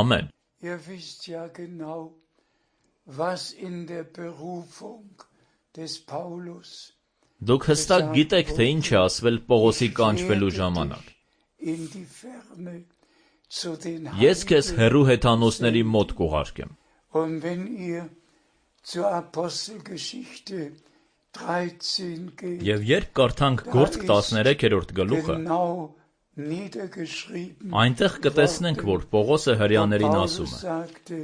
Ամեն։ Ihr wisst ja genau, was in der Berufung des Paulus Դուք հստակ գիտեք, թե ինչ է ասվել Պողոսի կանչվելու ժամանակ։ Ես քեզ հեռու հեթանոսների մոտ կուղարկեմ։ Und wenn ihr zur Apostelgeschichte 13 geht, Եվ երբ կարդանք Գործք 13-րդ գլուխը, genau niedergeschrieben, այնտեղ կտեսնենք, որ Պողոսը հրեաներին ասում է. sagte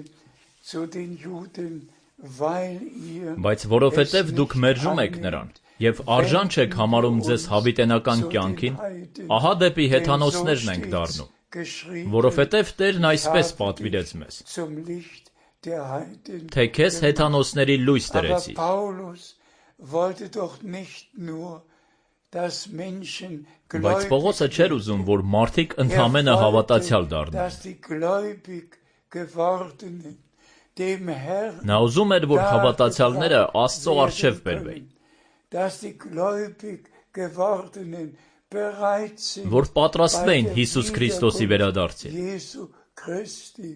zu den Juden, weil ihr Բայց որովհետև դուք մերժում եք նրան, եւ արժան չեք համարում ձեզ հավիտենական կյանքին, ահա դեպի հեթանոսներն ենք դառնում, որովհետև Տերն այսպես պատվիրեց մեզ, zum Licht der Heiden. թե քեզ հեթանոսների լույս Aber տրեցի։ Paulus wollte doch nicht nur, dass Menschen Բայց Պողոսը gläubig չէր ուզում, որ մարդիկ ընդհանրապես հավատացյալ դառնան։ dass die gläubig gewordenen dem Herrn Նա ուզում էր, որ հավատացյալները Աստծո առջև բերվեին, dass die gläubig gewordenen bereit sind, որ պատրաստվեին Հիսուս Քրիստոսի վերադարձին, Jesu Christi,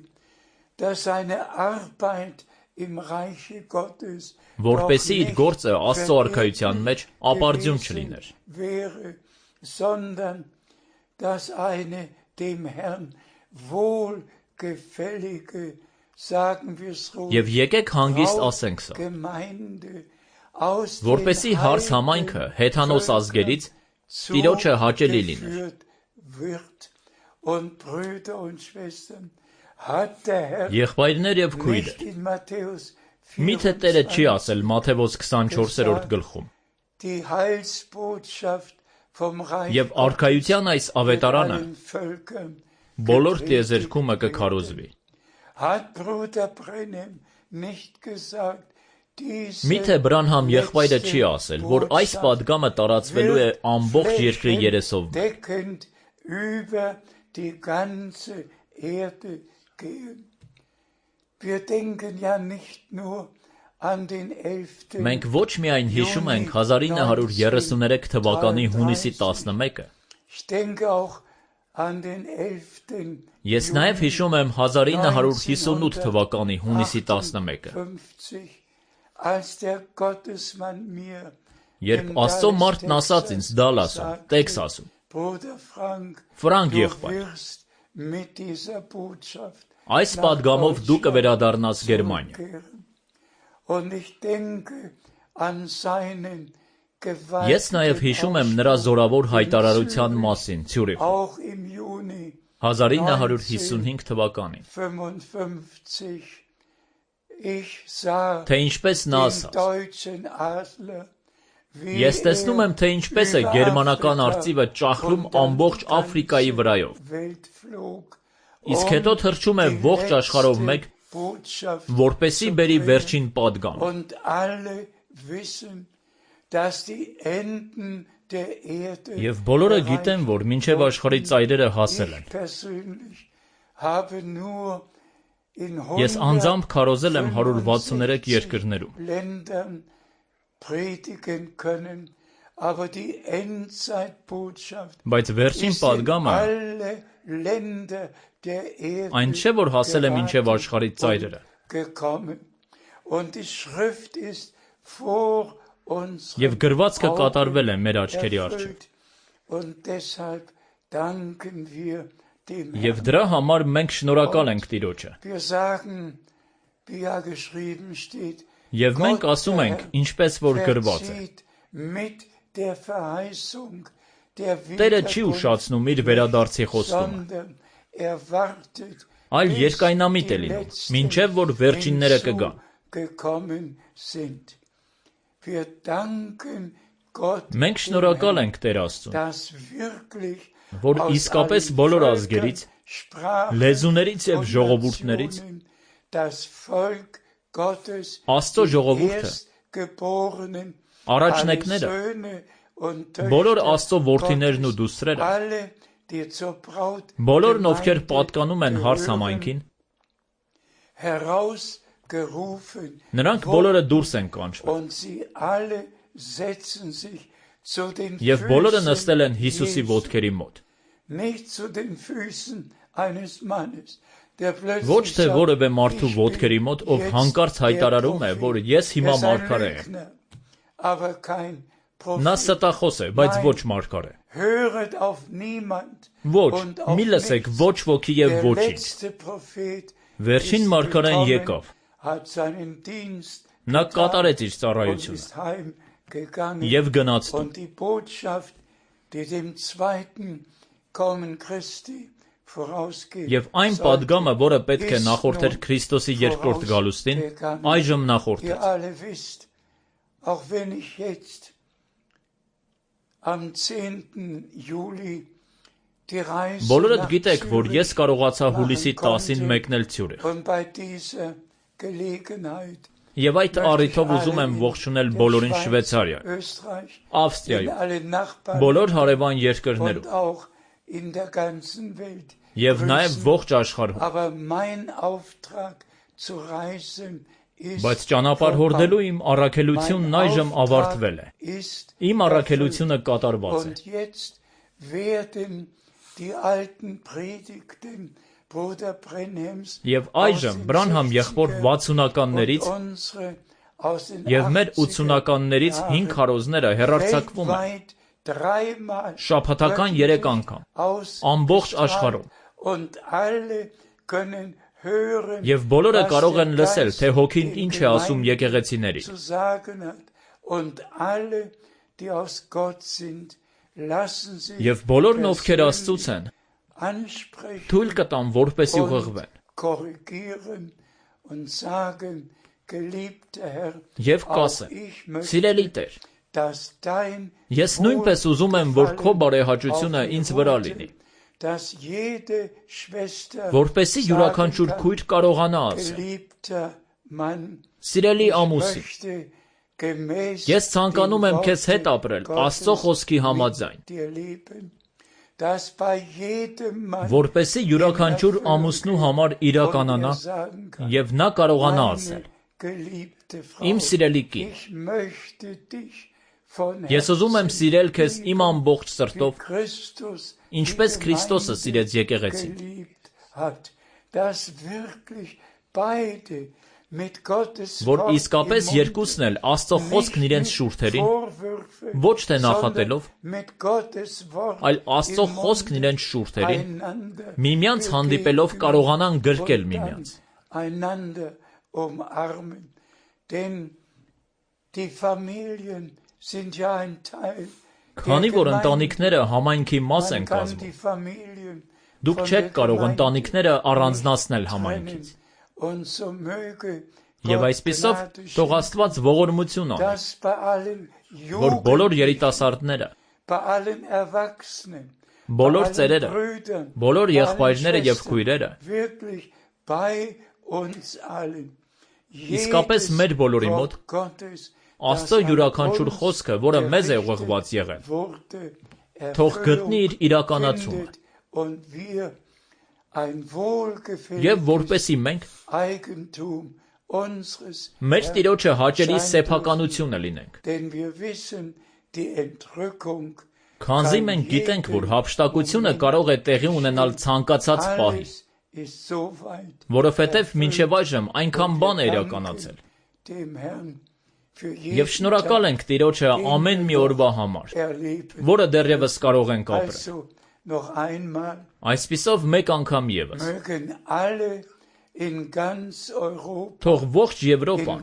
dass seine Arbeit im Reiche Gottes որպեսզի իր գործը Աստծո արքայության մեջ ապարդյուն չլիներ, wäre, sondern dass eine dem Herrn wohlgefällige, sagen wir es ruhig, եւ եկեք հանգիստ ասենք սա, Gemeinde aus որպեսզի հարս համայնքը հեթանոս ազգերից Տիրոջը հաճելի լիներ։ zugeführt wird. Und Brüder und Schwestern, hat der Herr Եղբայրներ եւ քույրեր, nicht in Matthäus միթե Տերը չի 24 ասել Մատթեոս 24-րդ գլխում, die Heilsbotschaft vom Reich եւ արքայության այս ավետարանը allen Völkern բոլոր տիեզերքումը կքարոզվի։ hat Bruder Brenhem nicht gesagt, diese Միթե Բրանհամ եղբայրը չի ասել, որ այս պատգամը տարածվելու է ամբողջ երկրի երեսով։ deckend über die ganze Erde gehen. Wir denken ja nicht nur an den 11. Մենք ոչ միայն հիշում ենք 1933 թվականի հունիսի 11-ը, Ich denke auch an den 11. ես նաև հիշում եմ 1958 թվականի հունիսի 11-ը, 50, als der Gottesmann mir երբ Աստծո մարդն ասաց ինձ Դալասում, Տեքսասում, Bruder Frank, Ֆրանկ du եղբայր, wirst mit dieser Botschaft այս պատգամով դու կվերադառնաս Գերմանիա։ zurückkehren. Und ich denke an seinen Ես նաև հիշում եմ նրա զորավոր հայտարարության մասին Ցյուրիխում, auch im Juni 1955 թվականին, 55. Ich sah թե ինչպես նա den ասաց. deutschen Adler, wie Ես տեսնում եմ, թե ինչպես է գերմանական արծիվը ճախլում ամբողջ Աֆրիկայի վրայով, Welt flog, իսկ հետո թռչում է ողջ աշխարհով մեկ, Botschaft որպեսի բերի վերջին պատգամ։ und alle wissen, dass die Enden der Erde Եվ բոլորը գիտեն, որ մինչև աշխարհի ծայրերը հասել են։ Ich persönlich habe nur in Ես անձամբ քարոզել եմ 163 երկրներում, Ländern predigen können, aber die Endzeitbotschaft բայց վերջին ist in պատգամը alle Länder der Erde այն չէ, որ հասել է մինչև աշխարհի ծայրերը, gekommen. Und die Schrift ist vor uns եւ գրվածքը կատարվել է մեր աչքերի առջև։ erfüllt. Und deshalb danken wir dem Եվ Herrn. դրա համար մենք շնորհակալ ենք Տիրոջը։ Wir sagen, wie ja geschrieben steht, Եվ մենք ասում ենք, ինչպես որ գրված է. verzieht mit der Verheißung der Տերը չի Wiederkunft, ուշացնում իր վերադարձի խոստումը, sondern er wartet, այլ bis երկայնամիտ է die լինում, Letzten մինչև որ վերջինները կգան։ hinzugekommen sind. Wir danken Gott, Մենք շնորհակալ ենք Տեր Աստծուն, dass wirklich որ aus իսկապես allen բոլոր Völkern, ազգերից, Sprachen լեզուներից եւ und ժողովուրդներից Nationen das Volk Gottes, Աստծո die ժողովուրդը, Erstgeborenen, առաջնեկները, alle Söhne und բոլոր Töchter Աստծո որդիներն ու Gottes, դուստրերը, alle, die zur Braut բոլորն ովքեր Gemeinde պատկանում են հարս gehören, համայնքին, herausgerufen նրանք բոլորը դուրս են կանչվել, und sie alle setzen sich zu den եւ բոլորը Füßen նստել են Հիսուսի Jesu, ոտքերի մոտ, nicht zu den Füßen eines Mannes, der plötzlich ոչ թե sagt, որևէ մարդու ich bin ոտքերի մոտ, ով jetzt հանկարծ հայտարարում է, der որ Prophet. ես հիմա Er ist ein մարգարե եմ։ Lügner, aber kein Նա Prophet. ստախոս է, բայց ոչ մարգարե։ Höret auf niemand Ոչ, und auf մի լսեք nichts. ոչ ոգի եւ Der ոչինչ։ letzte Prophet Վերջին ist մարգարեն gekommen, եկավ, hat seinen Dienst նա getan կատարեց իր und ծառայությունը ist heim gegangen Եվ գնաց տուն։ und die Botschaft, die dem zweiten Kommen Christi vorausgeht, Եվ այն падգամը, որը պետք է նախորդեր Քրիստոսի երկրորդ գալուստին, այժմ Ihr նախորդեց։ alle wisst, auch wenn ich jetzt am 10. Juli die Reise Բոլորդ nach գիտեք, որ ես Zürich կարողացա հուլիսի 10-ին machen մեկնել Ցյուրիխ։ und bei dieser Gelegenheit Եվ այդ առիթով ուզում եմ ողջունել բոլորին Շվեյցարիա, Österreich, in Ավստրիայում, alle Nachbarn բոլոր հարևան und երկրներում auch in der ganzen Welt եւ նաեւ grüßen. ողջ աշխարհում։ Aber mein Auftrag zu reisen ist Բայց ճանապարհ հորդելու իմ առաքելությունն այժմ ավարտվել է։ Իմ առաքելությունը կատարված է։ Und jetzt werden die alten Predigten Bruder Brenhams Եվ այժմ Բրանհամ եղբոր 60-ականներից եւ մեր 80-ականներից 5 քարոզները հեռարձակվում են շաբաթական 3 անգամ ամբողջ աշխարհում։ Եվ բոլորը կարող են լսել, թե հոգին ինչ է ասում եկեղեցիներին։ Եվ բոլորն ովքեր Աստծուց են, թույլ կտամ, որպեսի ուղղվեն։ Եվ կասեմ. Սիրելի Տեր, ես նույնպես ուզում եմ, որ քո բարեհաճությունը ինձ վրա լինի, որպեսի յուրաքանչյուր քույր կարողանա ասել. Սիրելի ամուսին, ես ցանկանում եմ քեզ հետ ապրել Աստծո խոսքի համաձայն, որպեսի յուրաքանչյուր ամուսնու համար իրականանա եւ նա կարողանա ասել. Իմ սիրելի կին, ես ուզում եմ սիրել քեզ իմ ամբողջ սրտով, ինչպես Քրիստոսը սիրեց եկեղեցին, որ իսկապես երկուսն էլ Աստծո խոսքն իրենց շուրթերին, ոչ թե նախատելով, այլ Աստծո խոսքն իրենց շուրթերին, միմյանց հանդիպելով կարողանան գրկել միմյանց։ Քանի որ ընտանիքները համայնքի մաս են կազմում, դուք չեք կարող ընտանիքները առանձնացնել համայնքից։ Եվ այսպիսով թող Աստված ողորմություն անի, որ բոլոր երիտասարդները, բոլոր ծերերը, բոլոր եղբայրները եւ քույրերը իսկապես մեր բոլորի մոտ Աստծո յուրաքանչյուր խոսքը, որը մեզ է ուղղված եղել, թող գտնի իր իրականացումը։ Եվ որպեսի մենք մեր Տիրոջը հաճելի սեփականությունը լինենք, քանզի մենք գիտենք, որ հափշտակությունը կարող է տեղի ունենալ ցանկացած պահի, որովհետև մինչև այժմ այնքան բան է իրականացել։ Եվ շնորհակալ ենք Տիրոջը ամեն մի օրվա համար, որը դեռևս կարող ենք ապրել։ Այսպիսով մեկ անգամ ևս թող ողջ Եվրոպան,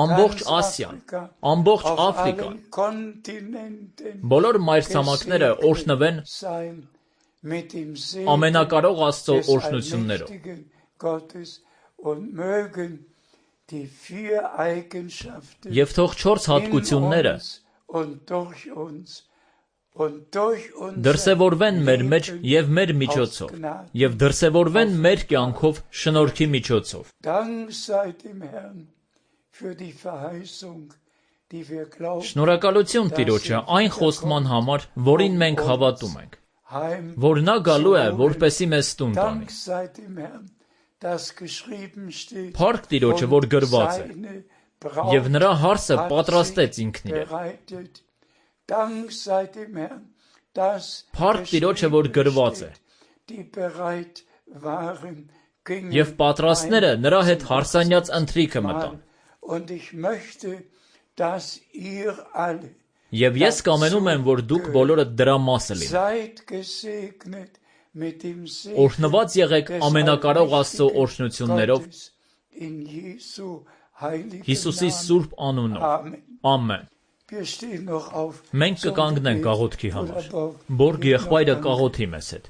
ամբողջ Ասիան, ամբողջ Աֆրիկան, բոլոր մայրցամաքները օրհնվեն ամենակարող Աստծո օրհնություններով։ Եվ թող 4 հատկությունները դրսևորվեն մեր մեջ եւ մեր միջոցով, եւ դրսևորվեն մեր կյանքով շնորհքի միջոցով։ Շնորհակալություն Տիրոջը այն խոստման համար, որին մենք հավատում ենք, որ նա գալու է, որպեսի մեզ տուն տանի։ Փառք Տիրոջը, որ գրված է, եւ նրա հարսը պատրաստեց ինքն իրեն։ Փառք Տիրոջը, որ գրված է, եւ պատրաստները նրա հետ հարսանյաց ընթրիքը մտան։ Եվ ես կամենում եմ, որ դուք բոլորը դրա մասը լինեք։ Օրհնված եղեք ամենակարող Աստծո օրհնություններով Հիսուսի սուրբ անունով։ Ամեն։ Մենք կկանգնենք աղոթքի համար։ Բորգ եղբայրը կաղոթի մեզ հետ։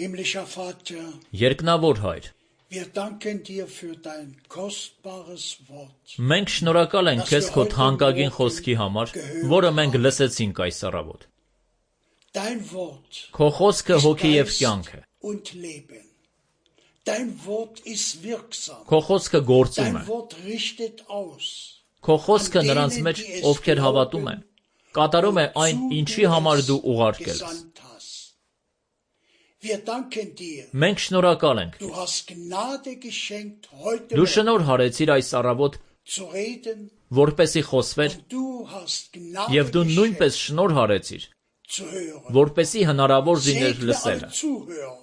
Himmlischer Vater, Երկնավոր Հայր, wir danken dir für dein kostbares Wort. մենք շնորհակալ ենք քեզ քո թանկագին խոսքի համար, որը մենք լսեցինք այս առավոտ։ Dein Wort Քո խոսքը ist հոգի եւ Geist կյանք է։ und Leben. Dein Wort ist wirksam. Քո խոսքը գործում Dein է։ Wort richtet aus. Քո խոսքը նրանց մեջ, ովքեր հավատում են, կատարում է այն, ինչի համար դու ուղարկել ես։ Gesandt hast. Wir danken dir. Մենք շնորհակալ ենք Du քեզ։ hast Gnade geschenkt, heute Դու Morgen շնորհ հարեցիր այս առավոտ, zu reden. որպեսի խոսվեր, Und du hast Gnade եւ դու geschenkt, նույնպես շնորհ հարեցիր, zu hören. որպեսի հնարավոր լիներ Segne լսելը։ alle Zuhörer.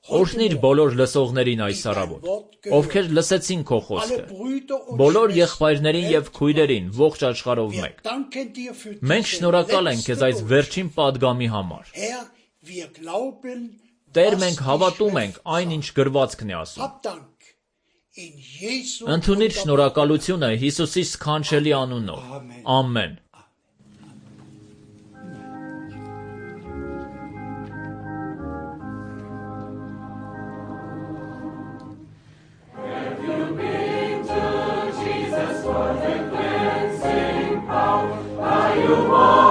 Օրհնիր բոլոր լսողներին այս առավոտ, ովքեր լսեցին քո Alle խոսքը, Brüder und բոլոր Schwestern եղբայրներին եւ քույրերին ողջ աշխարհով Wir մեկ։ danken dir für Մենք diese շնորհակալ ենք letzte քեզ այս Botschaft. վերջին падգամի համար։ Herr, wir glauben, Տեր, was մենք die հավատում ենք Schrift այն, ինչ գրվածքն է ասում։ Hab Dank in Jesu Ընդունիր wunderbaren շնորհակալությունը Հիսուսի սքանչելի անունով։ Ամեն։ You